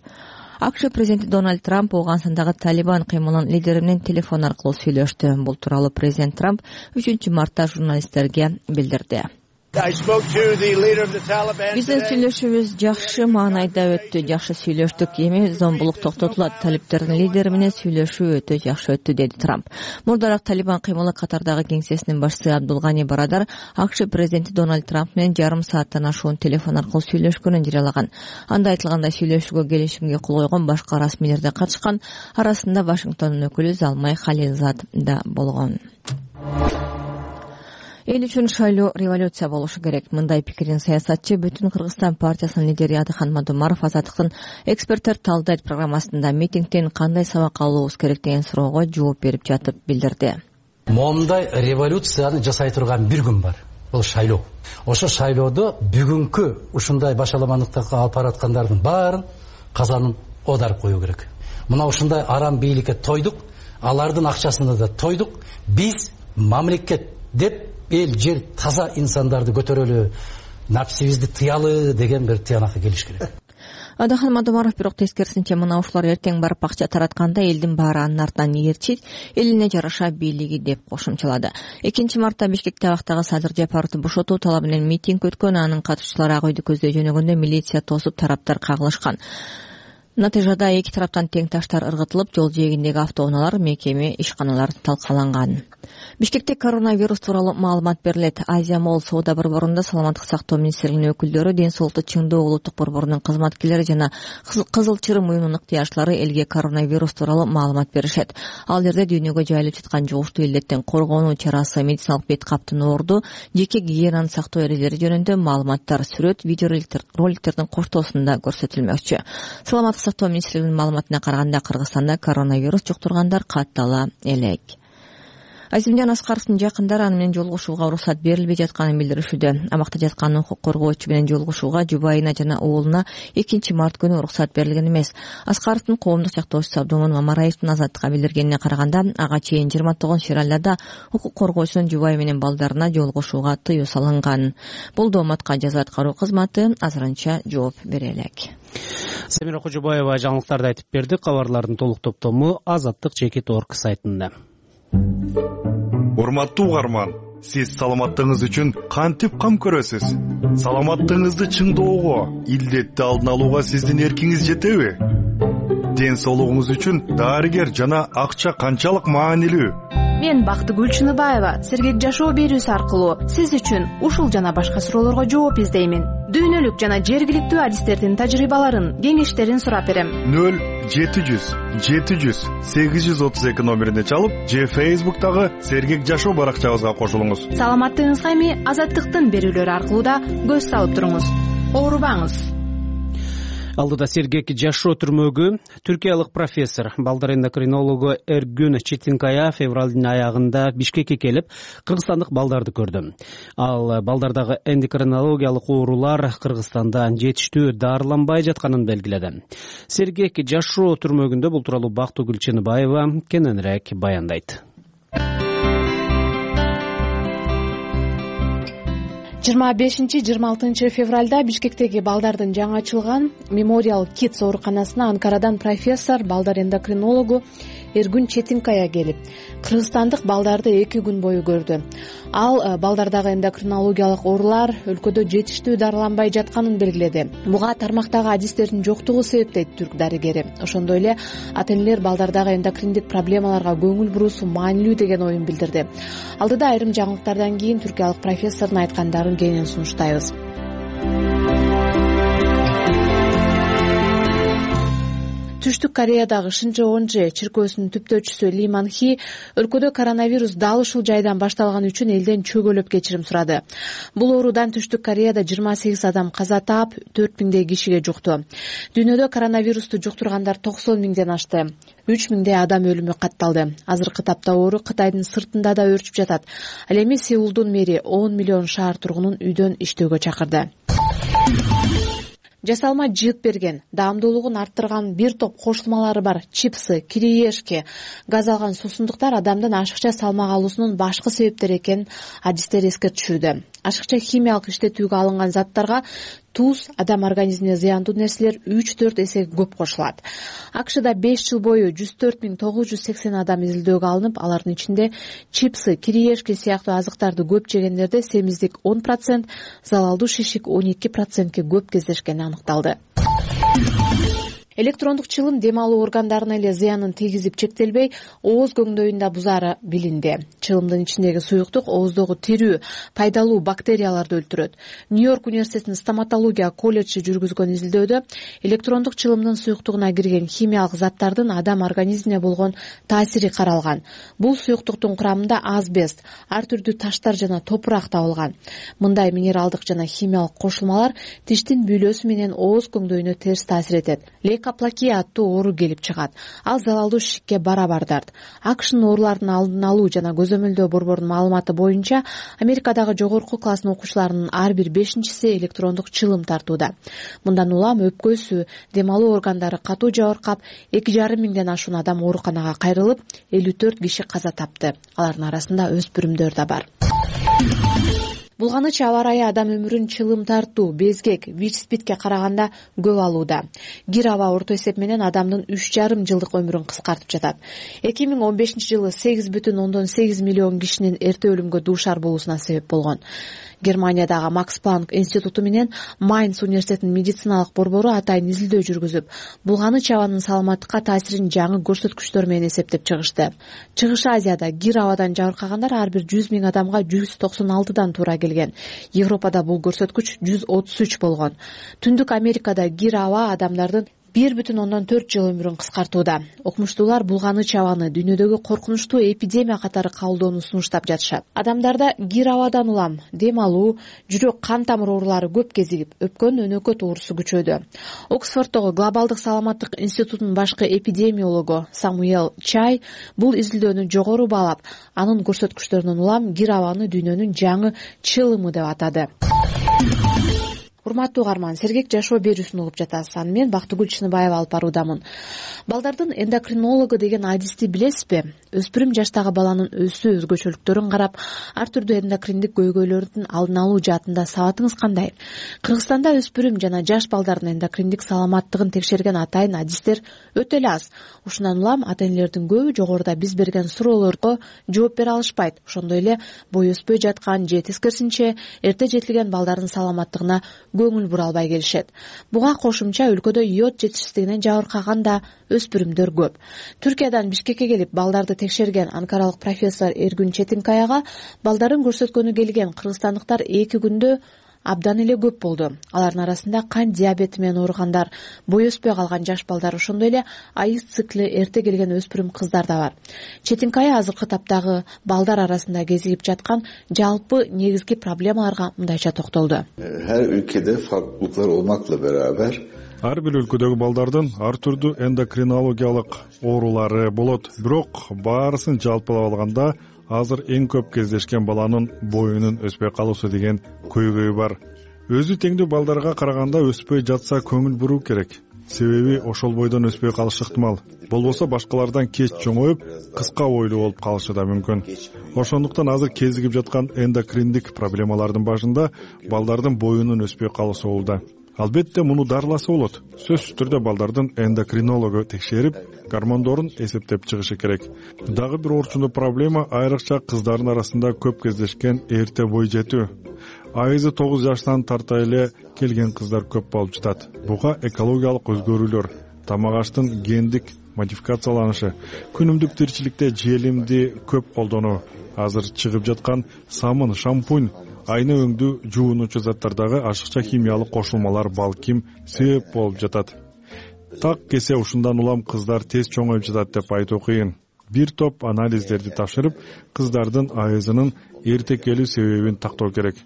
АКШ президенти Дональд Трамп Ооганстандагы Талибан кыймылынын лидери менен телефон аркылуу сүйлөштү. Бул тууралуу президент Трамп 3 мартта журналисттерге билдирди. Биздин сүйлөшүүбүз жакшы маанайда өттү, жакшы сүйлөштүк. Эми зомбулук токтотулат. Талибтердин лидери менен сүйлөшүү өтө жакшы өттү, деди Трамп. Мурдараак Талибан кыймылы катардагы кеңсесинин башчысы Абдулгани Барадар АКШ президенти Дональд Трамп менен жарым сааттан ашуун телефон аркылуу сүйлөшкөнүн жарыялаган. Анда айтылгандай сүйлөшүүгө келишимге кол койгон башка расмийлер да катышкан. Арасында Вашингтондун өкүлү Залмай Халилзад да болгон. Эл үчүн шайлоо революция болушу керек. Мындай пикирин саясатчы Бүтүн Кыргызстан партиясынын лидери Адыхан Мадумаров Азаттыктын эксперттер талдайт программасында митингден кандай сабак алуубуз керек деген суроого жооп берип жатып билдирди. Момундай революцияны жасай турган бир күн бар. Бул шайлоо. Ошо шайлоодо бүгүнкү ушундай башаламандыкка алып бараткандардын баарын казанын оодарып коюу керек. Мына ушундай арам бийликке тойдук, алардын акчасына да тойдук. Биз мамлекет деп эл жер таза инсандарды көтөрөлү, напсибизди тыялы деген бир тыянакка келиш керек. Адыхан Мадумаров бирок тескерисинче мына ушулар эртең барып акча таратканда элдин баары анын артынан ээрчийт, элине жараша бийлиги деп кошумчалады. 2 мартта Бишкекте абактагы Садыр Жапаровду бошотуу талабы менен митинг өткөн, анын катышчылары Ак үйдү көздөй жөнөгөндө милиция тосуп тараптар кагылышкан. Натыйжада эки тараптан тең таштар ыргытылып, жол жээгиндеги автоунаалар, мекеме, ишканалар талкаланган. Бишкекте коронавирус тууралуу маалымат берилет. Азия Молл соода борборунда саламаттык сактоо министрлигинин өкүлдөрү, ден соолукту чыңдоо улуттук борборунун кызматкерлери жана Кызыл Чырым уюмунун ыктыярчылары элге коронавирус тууралуу маалымат беришет. Ал жерде дүйнөгө жайылып жаткан жугуштуу илдеттен коргонуу чарасы, медициналык бет каптын оорду, жеке гигиенаны сактоо эрежелери жөнүндө маалыматтар сүрөт, видео роликтердин коштоосунда көрсөтүлмөкчү. Саламаттык сактоо министрлигинин маалыматына караганда Кыргызстанда коронавирус жуктургандар каттала элек. Азимжан Аскаровдун жакындары аны менен жолугушууга уруксат берилбей жатканын билдиришүүдө. Абакта жаткан укук коргоочу менен жолугушууга жубайына жана уулуна 2 март күнү уруксат берилген эмес. Аскаровдун коомдук чактоочусу Абдумун Мамараевдин Азаттыкка билдиргенине караганда, ага чейин 29 февралда укук коргоочунун жубайы менен балдарына жолугушууга тыюу салынган. Бул дооматка жаза аткаруу кызматы азырынча жооп бере элек. Самира Кожобаева жаңылыктарды айтып берди. Кабарлардын толук топтому azattik.org сайтында. Урматтуу угарман, сиз саламаттыгыңыз үчүн кантип кам көрөсүз? Саламаттыгыңызды чыңдоого, илдетти алдын алууга сиздин эркиңиз жетеби? Ден соолугуңуз үчүн дарыгер жана акча канчалык маанилүү? Мен Бактыгүл Чыныбаева сергек жашоо берүүсү аркылуу сиз үчүн ушул жана башка суроолорго жооп издеймин. Дүйнөлүк жана жергиликтүү адистердин тажрыйбаларын, кеңештерин сурап берем. 0-700-832 номерине чалып, же Facebook'тагы сергек жашоо баракчабызга кошулуңуз. Саламаттыгыңызга эми Азаттыктын берүүлөрү аркылуу да көз салып туруңуз. Оорубаңыз. Алдыда сергек жашоо түрмөгү түркиялык профессор, балдар эндокринологу Эргүн Четинкая февралдын аягында Бишкекке келип, кыргызстандык балдарды көрдү. Ал балдардагы эндокринологиялык оорулар Кыргызстанда жетиштүү дарыланбай жатканын белгиледи. Сергек жашоо түрмөгүндө бул тууралуу Бактыгүл Чыныбаева кененирээк баяндайт. 25-26 февралда Бишкектеги балдардын жаңы ачылган Memorial Kids ооруканасына Анкарадан профессор, балдар эндокринологу Эргүн Четинкая келип, кыргызстандык балдарды 2 күн бою көрдү. Ал балдардагы эндокринологиялык оорулар өлкөдө жетиштүү дарыланбай жатканын белгиледи. Буга тармактагы адистердин жоктугу себеп дейт түрк дарыгери. Ошондой эле ата-энелер балдардагы эндокриндик проблемаларга көңүл буруусу маанилүү деген оюн билдирди. Алдыда айрым жаңылыктардан кийин түркиялык профессордун айткандарын кенен сунуштайбыз. Түштүк Кореядагы Шинчеонже чиркөөсүнүн түптөөчүсү Ли Манхи өлкөдө коронавирус дал ушул жайдан башталган үчүн элден чөгөлөп кечирим сурады. Бул оорудан Түштүк Кореяда 28 адам каза таап, 4000 кишиге жукту. Дүйнөдө коронавирусту жуктургандар 90 миңден ашты. 3000 адам өлүмү катталды. Азыркы тапта оору Кытайдын сыртында да өрчүп жатат. Ал эми Сеулдун мэри 10 миллион шаар тургунун үйдөн иштөөгө чакырды. Жасалма жыйып берген, даамдуулугун арттырган бир топ кошулмалары бар чипсы, кириешке, газ алган суусундуктар адамдын ашыкча салмак алуусунун башкы себептери экенин адистер эскертишүүдө. Ашыкча химиялык иштетүүгө алынган заттарга туз, адам организмине зыяндуу нерселер 3-4 эсеге көп кошулат. АКШда 5 жыл бою 104.980 адам изилдөөгө алынып, алардын ичинде чипсы, кириешки сыяктуу азыктарды көп жегендерде семиздик 10%, залалдуу шишик 12%ке көп кездешкени аныкталды. Электрондук чылым дем алуу органдарына эле зыянын тийгизип чектелбей, ооз көңдөйүндө бузаары билинди. Чылымдын ичиндеги суюктук ооздогу тирүү, пайдалуу бактерияларды өлтүрөт. Нью-Йорк университетинин стоматология колледжи жүргүзгөн изилдөөдө электрондук чылымдын суюктугуна кирген химиялык заттардын адам организмине болгон таасири каралган. Бул суюктуктун курамында азбест, ар түрдүү таштар жана топурак табылган. Мындай минералдык жана химиялык кошулмалар тиштин бүйлөсү менен ооз көңдөйүнө терс таасир этет. Лейкоплакия аттуу оору келип чыгат. Ал залалдуу шишикке барабар дарт. АКШнын оорулардын алдын алуу жана көзөмөлдөө борборунун маалыматы боюнча, Америкадагы жогорку класстын окуучуларынын ар бир 5-си электрондук чылым тартууда. Мындан улам өпкөсү, дем алуу органдары катуу жабыркап, 2,5 миңден ашуун адам ооруканага кайрылып, 54 киши каза тапты. Алардын арасында өспүрүмдөр да бар. Булганыч аба ырайы адам өмүрүн чылым тартуу, безгек, ВИЧ/СПИДке караганда көп алууда. Кир аба орто эсеп менен адамдын 3,5 жылдык өмүрүн кыскартып жатат. 2015-жылы 8,8 миллион кишинин эрте өлүмгө дуушар болуусуна себеп болгон. Германиядагы Макс Планк институту менен Майнц университетинин медициналык борбору атайын изилдөө жүргүзүп, булганыч абанын саламаттыкка таасирин жаңы көрсөткүчтөр менен эсептеп чыгышты. Чыгыш Азияда кир абадан жабыркагандар ар бир 100 миң адамга 196дан туура келген. Европада бул көрсөткүч 133 болгон. Түндүк Америкада кир аба адамдардын 1,4 жыл өмүрүн кыскартууда. Окумуштуулар булганыч абаны дүйнөдөгү коркунучтуу эпидемия катары кабылдоону сунуштап жатышат. Адамдарда кир абадан улам, дем алуу, жүрөк кан тамыр оорулары көп кезигип, өпкөн өнөкөт оорусу күчөдү. Оксфорддогу Глобалдык саламаттык институтунун башкы эпидемиологу Самуэл Чай бул изилдөөнү жогору баалап, анын көрсөткүчтөрүнөн улам кир абаны дүйнөнүн жаңы чылымы деп атады. Урматтуу угарман, сергек жашоо берүүсүн угуп жатасыз. Аны мен Бактыгүл Чыныбаева алып баруудамын. Балдардын эндокринологу деген адисти билесизби? Өспүрүм жаштагы баланын өсүү өзгөчөлүктөрүн карап, ар түрдүү эндокриндик көйгөйлөрдүн алдын алуу жаатында сабатыңыз кандай? Кыргызстанда өспүрүм жана жаш балдардын эндокриндик саламаттыгын текшерген атайын адистер өтө эле аз. Ушундан улам ата-энелердин көбү жогоруда биз берген суроолорго жооп бере алышпайт. Ошондой эле бой өспөй жаткан же тескерисинче эрте жетилген балдардын саламаттыгына көңүл бура албай келишет. Буга кошумча өлкөдө йод жетишсиздигинен жабыркаган да өспүрүмдөр көп. Түркиядан Бишкекке келип балдарды текшерген анкаралык профессор Эргүн Четинкаяга балдарын көрсөткөнү келген кыргызстандыктар 2 күндө абдан эле көп болду. Алардын арасында кант диабети менен ооругандар, бой өспөй калган жаш балдар, ошондой эле айыз цикли эрте келген өспүрүм кыздар да бар. Четинкая азыркы таптагы балдар арасында кезигип жаткан жалпы негизги проблемаларга мындайча токтолду. Her ülkede farklılıklar olmakla beraber ар бир өлкөдөгү балдардын ар түрдүү эндокринологиялык оорулары болот. Бирок баарысын жалпылап алганда азыр эң көп кездешкен баланын боюнун өспөй калуусу деген көйгөй бар. Өзү теңдүү балдарга караганда өспөй жатса көңүл буруу керек. Себеби ошол бойдон өспөй калышы ыктымал. Болбосо башкалардан кеч чоңоюп, кыска бойлуу болуп калышы да мүмкүн. Ошондуктан азыр кезигип жаткан эндокриндик проблемалардын башында балдардын боюнун өспөй калуусу болууда. Албетте муну дарыласа болот. Сөзсүз түрдө балдардын эндокринологу текшерип, гормондорун эсептеп чыгышы керек. Дагы бир орчундуу проблема айрыкча кыздардын арасында көп кездешкен эрте бой жетүү. Айызы 9 жаштан тарта эле келген кыздар көп болуп жатат. Буга экологиялык өзгөрүүлөр, тамак аштын гендик модификацияланышы, күнүмдүк тиричиликте желимди көп колдонуу, азыр чыгып жаткан самын, шампунь, айны өңдүү жуунуучу заттардагы ашыкча химиялык кошулмалар балким себеп болуп жатат. Так кесе ушундан улам кыздар тез чоңоюп жатат деп айтуу кыйын. Бир топ анализдерди тапшырып, кыздардын айызынын эрте келүү себебин тактоо керек.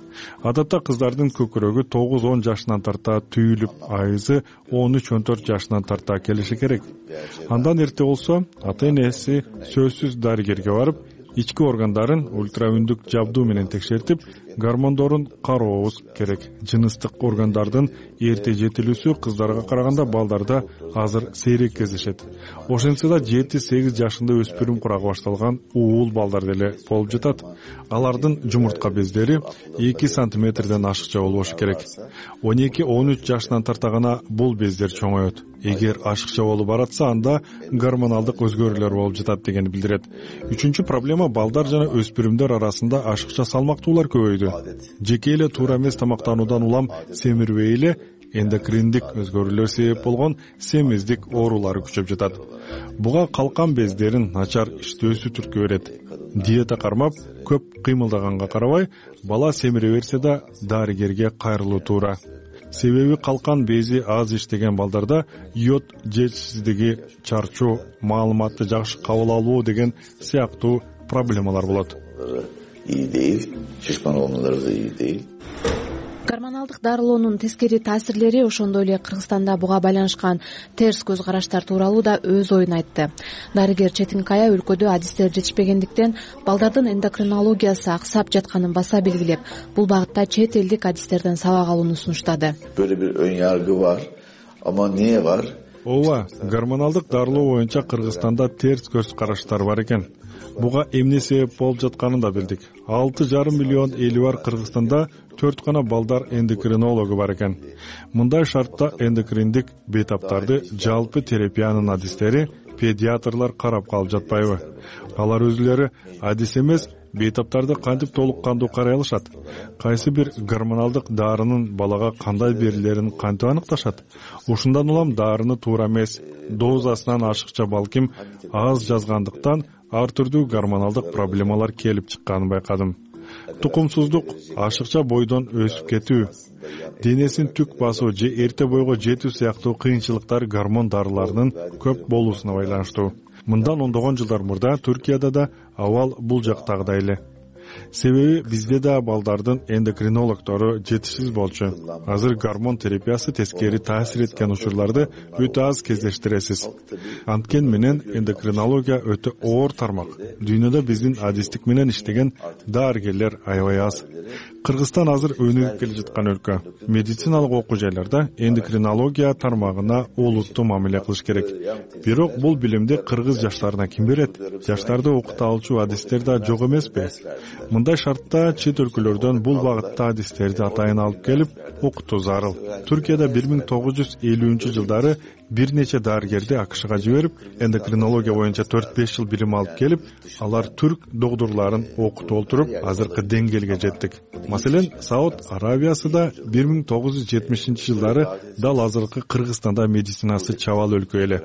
Адатта кыздардын көкүрөгү 9-10 жашынан тарта түйүлүп, айызы 13-14 жашынан тарта келиши керек. Андан эрте болсо, ата-энеси сөзсүз дарыгерге барып, ички органдарын ультраүндүк жабдуу менен текшертип, гормондорун карообуз керек. Жыныстык органдардын эрте жетилүүсү кыздарга караганда балдарда азыр сейрек кездешет. Ошентсе да 7-8 жашында өспүрүм курагы башталган уул балдар деле болуп жатат. Алардын жумуртка бездери 2 сантиметрден ашыкча болбошу керек. 12-13 жашынан тарта гана бул бездер чоңоет. Эгер ашыкча болуп баратса, анда гормоналдык өзгөрүүлөр болуп жатат дегенди билдирет. Үчүнчү проблема балдар жана өспүрүмдөр арасында ашыкча салмактуулар көбөйдү. Жеке эле туура эмес тамактануудан улам семирбей эле эндокриндик өзгөрүүлөр себеп болгон семиздик оорулары күчөп жатат. Буга калкан бездерин начар иштөөсү түрткү берет. Диета кармап, көп кыймылдаганга карабай, бала семире берсе да дарыгерге кайрылуу туура. Себеби калкан бези аз иштеген балдарда йод жетишсиздиги, чарчоо, маалыматты жакшы кабыл алуу деген сыяктуу проблемалар болот. İyi değil, şişman olmaları da iyi değil. Гормоналдык дарылоонун тескери таасирлери, ошондой эле Кыргызстанда буга байланышкан терс көз караштар тууралуу да өз оюн айтты. Дарыгер Четинкая өлкөдө адистер жетишпегендиктен балдардын эндокринологиясы аксап жатканын баса белгилеп, бул багытта чет элдик адистерден сабак алууну сунуштады. Böyle bir ön yargı var ama niye var? Ооба, гормоналдык дарылоо боюнча Кыргызстанда терс көз караштар бар экен. Буга эмне себеп болуп жатканын да билдик. 6,5 миллион эли бар Кыргызстанда 4 гана балдар эндокринологу бар экен. Мындай шартта эндокриндик бейтаптарды жалпы терапиянын адистери, педиатрлар карап калып жатпайбы? Алар өзүлөрү адис эмес, бейтаптарды кантип толук кандуу карай алышат? Кайсы бир гормоналдык дарынын балага кандай берилерин кантип аныкташат? Ушундан улам дарыны туура эмес, дозасынан ашыкча балким аз жазгандыктан ар түрдүү гормоналдык проблемалар келип чыкканын байкадым. Тукумсуздук, ашыкча бойдон өсүп кетүү, денесин түк басуу же эрте бойго жетүү сыяктуу кыйынчылыктар гормон дарыларынын көп болуусуна байланыштуу. Мындан ондогон жылдар мурда Түркияда да абал бул жактагыдай эле. Себеби бизде да балдардын эндокринологдору жетишсиз болчу. Азыр гормон терапиясы тескери таасир эткен учурларды өтө аз кездештиресиз. Анткен менен эндокринология өтө оор тармак. Дүйнөдө биздин адистик менен иштеген дарыгерлер аябай аз. Кыргызстан азыр өнүгүп келе жаткан өлкө. Медициналык окуу жайларда эндокринология тармагына олуттуу мамиле кылыш керек. Бирок бул билимди кыргыз жаштарына ким берет? Жаштарды окута алчу адистер да жок эмеспи? Мындай шартта чет өлкөлөрдөн бул багытта адистерди атайын алып келип окутуу зарыл. Түркияда 1950-жылдары бир нече дарыгерди АКШга жиберип, эндокринология боюнча 4-5 жыл билим алып келип, алар түрк докторлорун окутуп олтуруп, азыркы деңгээлге жеттик. Маселен, Сауд Арабиясында 1970-жылдары дал азыркы Кыргызстанда медицинасы чабал өлкө эле.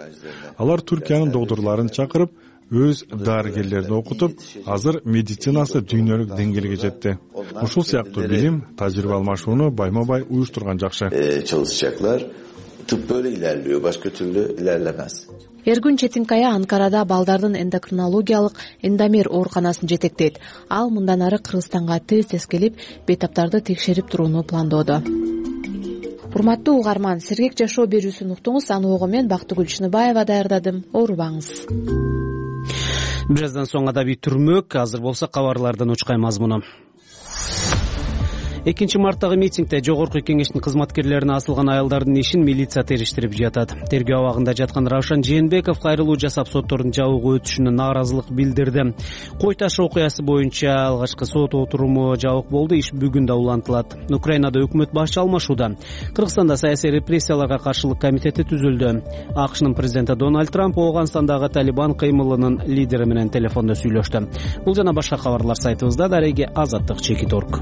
Алар Түркиянын докторлорун чакырып, өз дарыгерлерин окутуп, азыр медицинасы дүйнөлүк деңгээлге жетти. Ушул сыяктуу билим, тажрыйба алмашууну байма-бай уюштурган жакшы. Çalışacaklar. Tıp böyle ilerliyor, başka türlü ilerlemez. Эргүн Четинкая Анкарада балдардын эндокринологиялык Эндомер ооруканасын жетектейт. Ал мындан ары Кыргызстанга тез келип, бейтаптарды текшерип турууну пландоодо. Урматтуу угарман, сергек жашоо берүүсүн уктуңуз. Аны мен Бактыгүл Чыныбаева даярдадым. Оорубаңыз. Бир аздан соң адабий түрмөк, азыр болсо кабарлардан учкай мазмуну. 2 марттагы митингде жогорку кеңештин кызматкерлерине асылган аялдардын ишин милиция териштирип жатат. Тергөө абагында жаткан Равшан Жээнбеков кайрылуу жасап соттордун жабык өтүшүнө нааразылык билдирди. Кой таш окуясы боюнча алгачкы сот отуруму жабык болду, иш бүгүн да улантылат. Украинада өкмөт башчы алмашууда. Кыргызстанда саясий репрессияларга каршылык комитети түзүлдү. АКШнын президенти Дональд Трамп Ооганстандагы Талибан кыймылынын лидери менен телефондо сүйлөштү. Бул жана башка кабарлар сайтыбызда. Дареги Азаттык-Чекит.орг.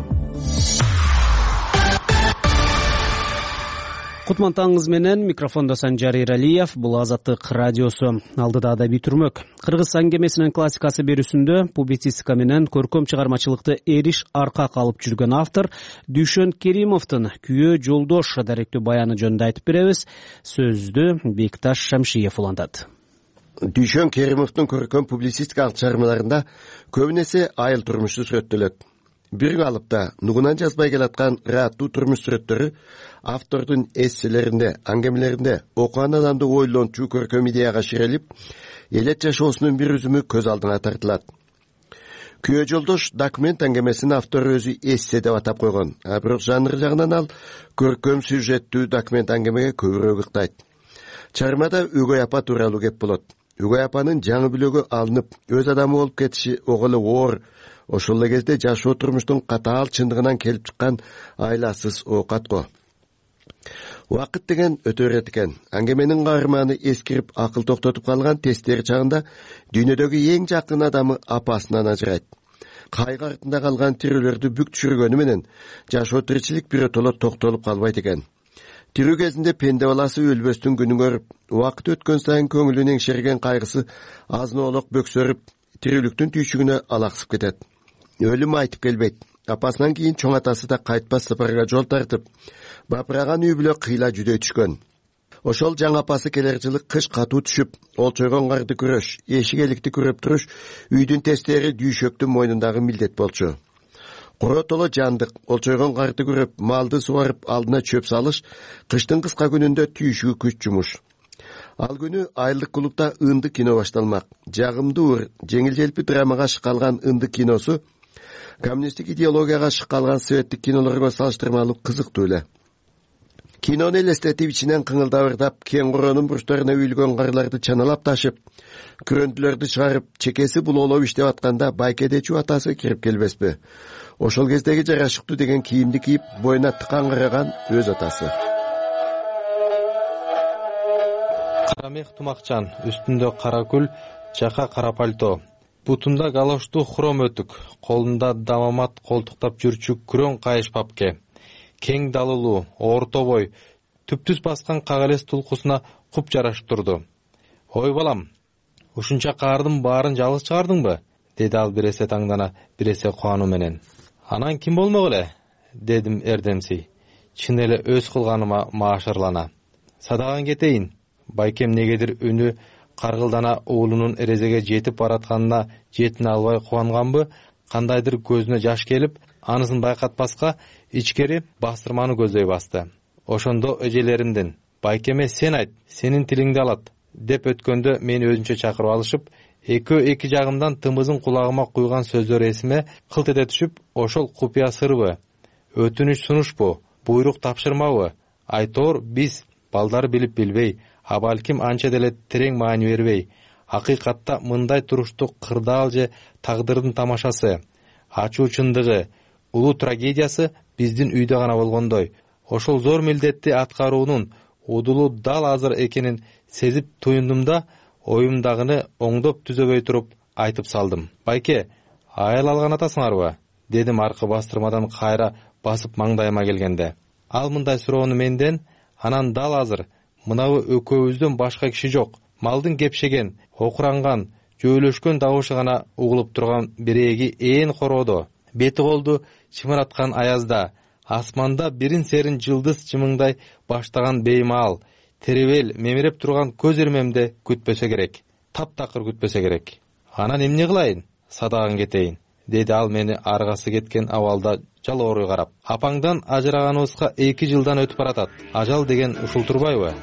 Кутман таңыңыз менен микрофондо Санжар Иралиев. Бул Азаттык радиосу. Алдыда адабий түрмөк. Кыргыз аңгемесинин классикасы берүүсүндө публицистика менен көркөм чыгармачылыкты эриш арка калып жүргөн автор Дүйшөн Керимовдун Күйөө жолдош даректүү баяны жөнүндө айтып беребиз. Сөздү Бекташ Шамшиев улантат. Дүйшөн Керимовдун көркөм публицистикалык чыгармаларында көбүнесе айыл турмушу сүрөттөлөт. Бир калыпта нугунан жазбай келаткан ырааттуу турмуш сүрөттөрү автордун эсселеринде, аңгемелеринде окуган адамды ойлончу көркөм идеяга ширелип, элет жашоосунун бир үзүмү көз алдына тартылат. Күйөө жолдош документ аңгемесинин автору өзү эссе деп атап койгон. Бирок жанры жагынан ал көркөм сюжеттүү документ аңгемеге көбүрөөк ыктайт. Чыгармада өгөй апа тууралуу кеп болот. Өгөй апанын жаңы бүлөгө алынып өз адамы болуп кетиши ого эле оор. Ошол эле кезде жашоо турмуштун катаал чындыгынан келип чыккан айласыз оокатко. Убакыт деген өтө берет экен. Аңгеменин каарманы эскирип акыл токтотуп калган тесттери чагында дүйнөдөгү эң жакын адамы апасынан ажырайт. Кайгы артында калган тирүүлөрдү бүк түшүргөнү менен жашоо тиричилик биротоло токтолуп калбайт экен. Тирүү кезинде пенде баласы өлбөстүн күнүн көрүп, убакыт өткөн сайын көңүлүн эңшерген кайгысы азын-олок бөксөрүп, тирүүлүктүн түйшүгүнө алаксып кетет. Өлүм айтып келбейт. Апасынан кийин чоң атасы да кайтпас сапарга жол тартып, бапыраган үй бүлө кыйла жүдөй түшкөн. Ошол жаңы апасы келер жылы кыш катуу түшүп, олчойгон карды күрөш, эшик эликти күрөп туруш үйдүн тестери дүйшөктүн мойнундагы милдет болчу. Коротоло жандык, олчойгон карды күрөп, малды суарып, алдына чөп салыш, кыштын кыска күнүндө түйшүгү күч жумуш. Ал күнү айылдык клубда ынды кино башталмак. Жагымдуу, жеңил-желпи драмага шыккалган ынды киносу коммунисттик идеологияга шыккалган советтик кинолорго салыштырмалуу кызыктуу эле. Кинону элестетип ичинен кыңылдап, кең коронун бурчтарына үйүлгөн карларды чаналап ташып, күрөндүлөрдү чыгарып, чекеси булоолоп иштеп атканда байкедечүү атасы кирип келбеспи? Ошол кездеги жарашыктуу деген кийимди кийип, боюна тыкан караган өз атасы. Кара мех тумакчан, үстүндө кара күл, жака кара пальто. Бутунда галоштуу хром өтүк, колунда дамамат колтуктап жүрчү күрөң кайыш папке. Кең далылуу, орто бой, түптүз баскан кагалес тулкусуна куп жарашып турду. Ой балам, ушунча каардын баарын жалгыз чыгардыңбы? Деди ал биресе таңдана, биресе кубануу менен. Анан ким болмок эле? Дедим эрдемси. Чын эле өз кылганыма маашырлана. Садаган кетейин. Байкем негедир үнү каргылдана уулунун эрезеге жетип баратканына жетине албай кубанганбы, кандайдыр көзүнө жаш келип, анысын байкатпаска ичкери бастырманы көздөй басты. Ошондо эжелеримдин «Байкеме сен айт, сенин тилиңди алат» деп өткөндө мени өзүнчө чакырып алышып, экөө эки жагымдан тымызын кулагыма куйган сөздөр эсиме кылт эте түшүп, ошол купуя сырбы, өтүнүч сунушпу, буйрук тапшырмабы, айтор биз балдары билип билбей, а балким анча деле терең маани бербей, акыйкатта мындай туруштук кырдаал же тагдырдын тамашасы, ачуу чындыгы, улуу трагедиясы биздин үйдө гана болгондой, ошол зор милдетти аткаруунун удулу дал азыр экенин сезип туюндум да, оюмдагыны оңдоп түзөбөй туруп айтып салдым. Байке, айыл алган атасыңарбы? Дедим аркы бастырмадан кайра басып маңдайыма келгенде. Ал мындай суроону менден, анан дал азыр мынабы экөөбүздөн башка киши жок, малдын кепшеген, окуранган, жөөлөшкөн дабышы гана угулуп турган биреги ээн короодо, бети колду чымыраткан аязда, асманда бирин серин жылдыз чымыңдай баштаган беймаал, теребел мемиреп турган көз ирмемде күтпөсө керек, таптакыр күтпөсө керек. Анан эмне кылайын? Садаган кетейин, деди ал мени аргасы кеткен абалда жалооруй карап. Апаңдан ажыраганыбызга 2 жылдан өтүп баратат. Ажал деген ушул турбайбы?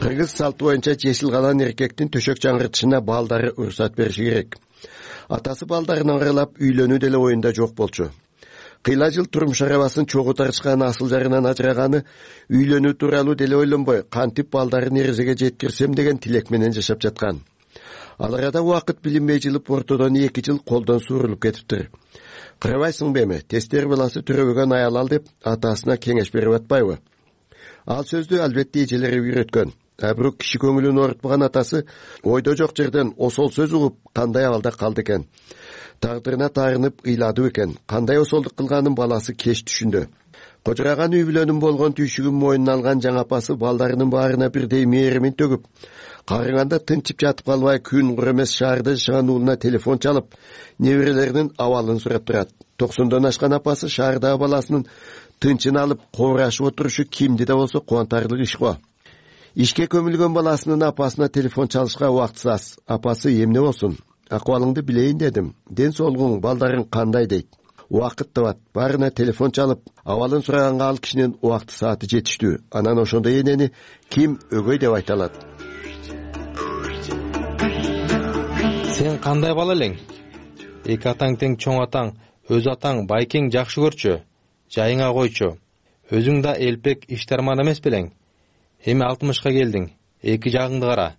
Кыргыз салты боюнча жешил калан эркектин төшөк жаңыртышына балдары уруксат бериши керек. Атасы балдарын аралап үйлөнүү деле оюнда жок болчу. Кыйла жыл турмуш арабасын чогуу тарышкан асыл жарынан ажыраганы үйлөнүү тууралуу деле ойлонбой, кантип балдарын эрезеге жеткирсем деген тилек менен жашап жаткан. Ал арада убакыт билинбей жылып ортодон 2 жыл колдон суурулуп кетиптир. Карабайсыңбы эми, тестер баласы төрөбөгөн аял ал деп атасына кеңеш берип атпайбы? Ал сөздү албетте эжелери үйрөткөн. Бирок киши көңүлүн оорутпаган атасы ойдо жок жерден осол сөз угуп кандай абалда калды экен. Тагдырына таарынып ыйладып экен. Кандай осолдук кылганын баласы кеч түшүндү. Кожураган үй бүлөнүн болгон түйшүгүн мойнуна алган жаңы апасы балдарынын баарына бирдей мээримин төгүп, карыганда тынчып жатып калбай күн кур эмес шаарда жашаган уулуна телефон чалып, неберелеринин абалын сурап турат. 90дон ашкан апасы шаардагы баласынын тынчын алып кобурашып отурушу кимди да болсо кубантарлык иш го. Ишке көмүлгөн баласынын апасына телефон чалышка убактысы аз. Апасы эмне болсун? Акыбалыңды билейин дедим. Ден соолугуң, балдарың кандай дейт? Убакыт табат. Баарына телефон чалып, абалын сураганга ал кишинин убакты сааты жетиштүү. Анан ошондой энени ким өгөй деп айта алат? Сен кандай бала элең? Эки атаң тең чоң атаң, өз атаң байкең жакшы көрчү. Жайыңа койчу. Өзүң да элпек иштарман эмес белең. Эми 60ка келдиң. Эки жагыңды кара.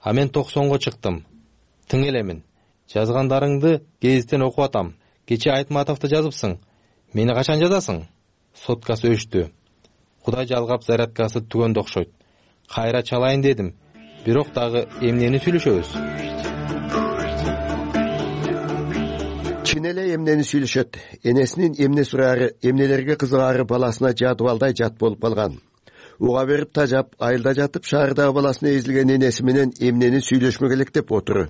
А мен 90го чыктым. Тың элемин. Жазгандарыңды гезиттен окуп атам. Кече Айтматовду жазыпсың. Мени качан жазасың? Соткасы өчтү. Кудай жалгап зарядкасы түгөндө окшойт. Кайра чалайын дедим. Бирок дагы эмнени сүйлөшөбүз? Чын эле эмнени сүйлөшөт. Энесинин эмне сураары, эмнелерге кызыгаары баласына жадыбалдай жат болуп калган. Уга берип тажап, айылда жатып шаардагы баласына эзилген энеси менен эмнени сүйлөшмөк элек деп отуру.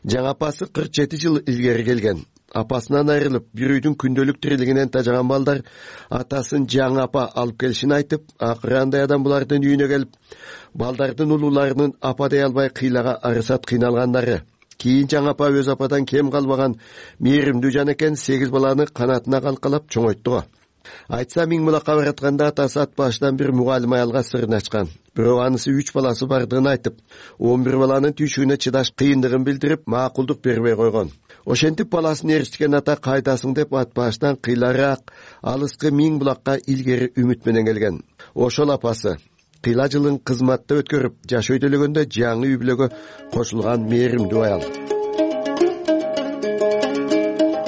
Жаңы апасы 47 жыл илгери келген. Апасынан айрылып, бир үйдүн күндөлүк тирилигинен тажаган балдар атасын жаңы апа алып келишин айтып, акыры андай адам булардын үйүнө келип, балдардын улууларынын апа дей албай кыйлага арысат кыйналгандары. Кийин жаңы апа өз ападан кем калбаган мээримдүү жан экен 8 баланы канатына калкалап чоңойтту. Айтса Миңбулакка баратканда атасы ат башынан бир мугалим аялга сырын ачкан. Бирок анысы 3 баласы бардыгын айтып, 11 баланын түйшүгүнө чыдаш кыйындыгын билдирип, макулдук бербей койгон. Ошентип баласын ээрчиткен ата кайдасың деп ат башынан кыйлараак алыскы Миңбулакка илгери үмүт менен келген. Ошол апасы кыйла жылын кызматта өткөрүп, жаш өйдөлөгөндө жаңы үй бүлөгө кошулган мээримдүү аял.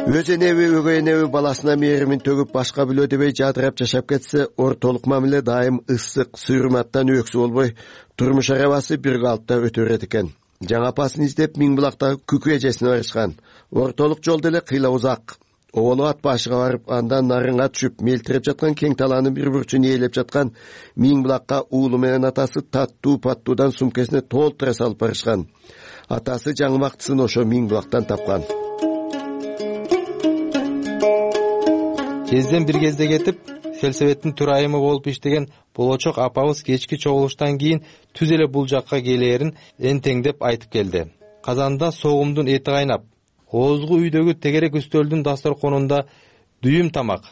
Өз энеби, өгөй энеби баласына мээримин төгүп башка бүлө дебей жадырап жашап кетсе, ортолук мамиле дайым ысык, сүйрматтан өксү болбой, турмуш арабасы бир калыпта өтө берет экен. Жаңы апасын издеп Миңбулактагы күкү эжесине барышкан. Ортолук жолдо эле кыйла узак. Оболу ат башыга барып, андан нарынга түшүп, мелтирип жаткан кең талаанын бир бурчун ээлеп жаткан Миңбулакка уулу менен атасы таттуу-паттуудан сумкесине толтура салып барышкан. Атасы жаңы бактысын ошо Миңбулактан тапкан. Кезден бир кезде кетип, Селсебеттин төрайымы болуп иштеген болочок апабыз кечки чогулуштан кийин түз эле бул жакка келээрин энтеңдеп айтып келди. Казанда согумдун эти кайнап, оозгу үйдөгү тегерек үстөлдүн дасторконунда дүйүм тамак.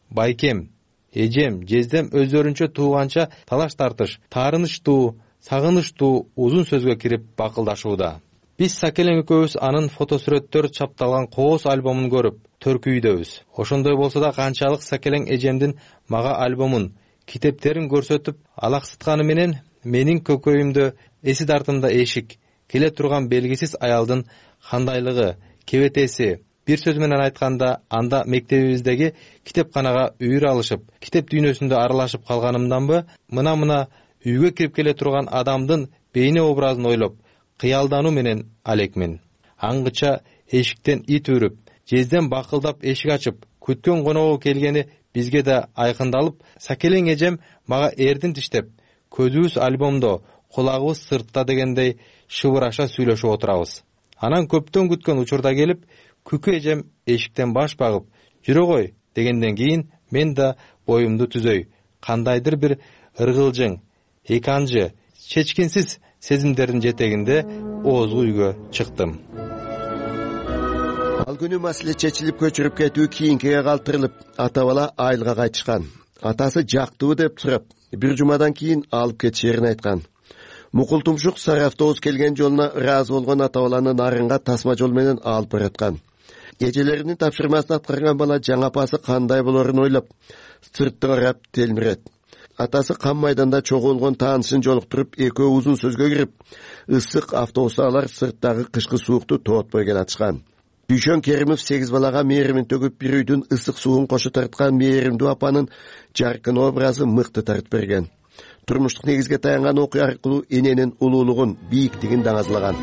Байкем, эжем, жездем өздөрүнчө тууганча талаш тартыш, таарынычтуу, сагынычтуу узун сөзгө кирип бакылдашууда. Биз Сакелең экөөбүз анын фотосүрөттөр чапталган кооз альбомун көрүп төркүйдөбүз. Ошондой болсо да канчалык Сакелең эжемдин мага альбомун, китептерин көрсөтүп алаксытканы менен менин көкөйүмдө эси тартымда эшик, келе турган белгисиз аялдын кандайлыгы, кебетеси. Бир сөз менен айтканда, анда мектебибиздеги китепканага үйүр алышып, китеп дүйнөсүндө аралашып калганымданбы, мына үйгө кирип келе турган адамдын бейне образын ойлоп, кыялдануу менен алекмин. Аңгыча эшиктен ит үрүп, жезден бакылдап эшик ачып, күткөн коногу келгени бизге да айкындалып, Сакелең эжем мага эрдин тиштеп, көзүбүз альбомдо, кулагыбыз сыртта дегендей шыбыраша сүйлөшүп отурабыз. Анан көптөн күткөн учурда келип, күкү эжем эшиктен баш багып, жүрө кой дегенден кийин мен да боюмду түзөй, кандайдыр бир ыргылжың, эканжы, чечкинсиз сезимдердин жетегинде оозгу үйгө чыктым. Ал күнү маселе чечилип көчүрүп кетүү кийинкиге калтырылып, ата бала айылга кайтышкан. Атасы жактыбы деп сурап, бир жумадан кийин алып кетишерин айткан. Мукул тумшук сары автобус келген жолуна ыраазы болгон ата баланы нарынга тасма жол менен алып бараткан. Эжелеринин тапшырмасын аткарган бала жаңы апасы кандай болорун ойлоп, сыртты карап телмирет. Атасы кам майданда чогулгон таанышын жолуктуруп, экөө узун сөзгө кирип, ысык автобуста алар сырттагы кышкы суукту тоотпой келатышкан. Дүйшөн Керимов 8 балага мээримин төгүп, бир үйдүн ысык суун кошо тарткан мээримдүү апанын жаркын образы мыкты тартып берген. Турмуштук негизге таянган окуя аркылуу эненин улуулугун, бийиктигин даңазлаган.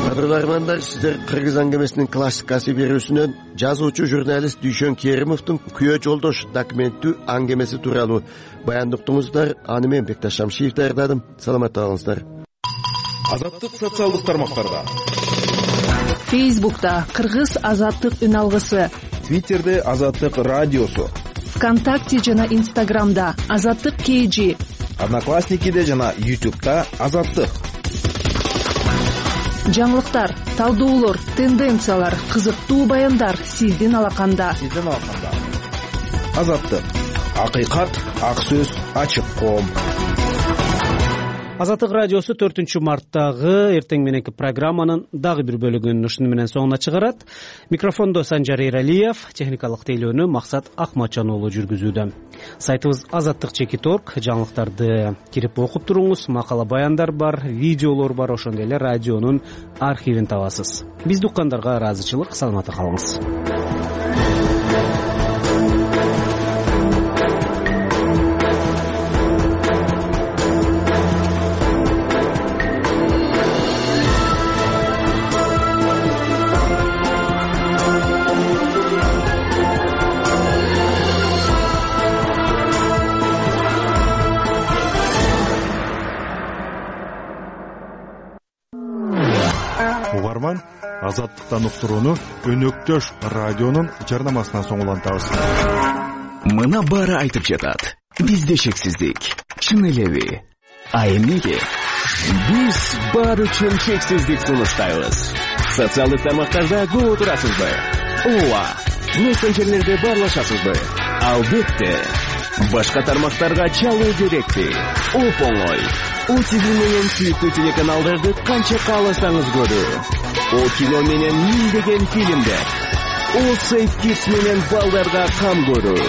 Кадырлармандар, сиздер Кыргыз аңгемесинин классикасы берүүсүнөн жазуучу журналист Дүйшөн Керимовдун Күйөө жолдош документтүү аңгемеси тууралуу баяндыктыңыздар. Аны мен Бекташ Шамшиев даярдадым. Саламатта болуңуздар. Азаттык социалдык тармактарда. Фейсбукта Кыргыз азаттык үн алгысы, Твиттерде Азаттык радиосу, ВКонтакте жана Инстаграмда Азаттык KG, Одноклассникиде жана YouTube'да Азаттык. Жаңылыктар, талдоолор, тенденциялар, кызыктуу баяндар сиздин алаканда. Азаттык. Акыйкат, ак сөз, ачык коом. Азаттык радиосу 4-марттагы эртең мененки программанын дагы бир бөлүгүн ушуну менен соңуна чыгарат. Микрофондо Санжар Эралиев, техникалык тейлөөнү Максат Акматжан уулу жүргүзүүдө. Сайтыбыз azattik.org, жаңылыктарды кирип окуп туруңуз. Макала баяндар бар, видеолор бар, ошондой эле радионун архивин табасыз. Бизди уккандарга ыраазычылык, саламатта калыңыз. Угарман, азаттыктан уктурууну Өнөктөш радионун жарнамасынан соң улантабыз. Мына баары айтып жатат. Бизде чексиздик. Чын элеби? А эмнеге? Биз баары үчүн чексиздик сунуштайбыз. Социалдык тармактарда көп отурасызбы? Ооба. Мессенджерлерде баарлашасызбы? Албетте. Башка тармактарга чалуу керекпи? Оп-оңой. ОТВ менен сүйүктүү телеканалдарды канча кааласаңыз көрүү. О кино менен миңдеген фильмдер. О Сейф Кидс менен балдарга кам көрүү.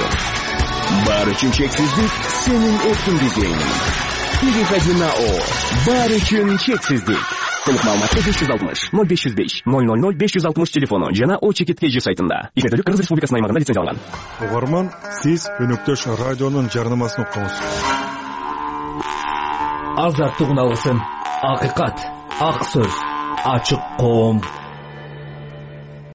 Баары үчүн чексиздик сенин эркиндигиң. Переходи на О. Баары үчүн чексиздик. Толук маалыматты 560 0505 000 560 телефону жана O-Чекит.kg сайтында. Иштетүүлүк Кыргыз Республикасынын аймагында лицензияланган. Угарман, сиз Өнөктөш радионун жарнамасын уктуңуз. Азаттык үналгысын, акыйкат, ак сөз, ачык коом.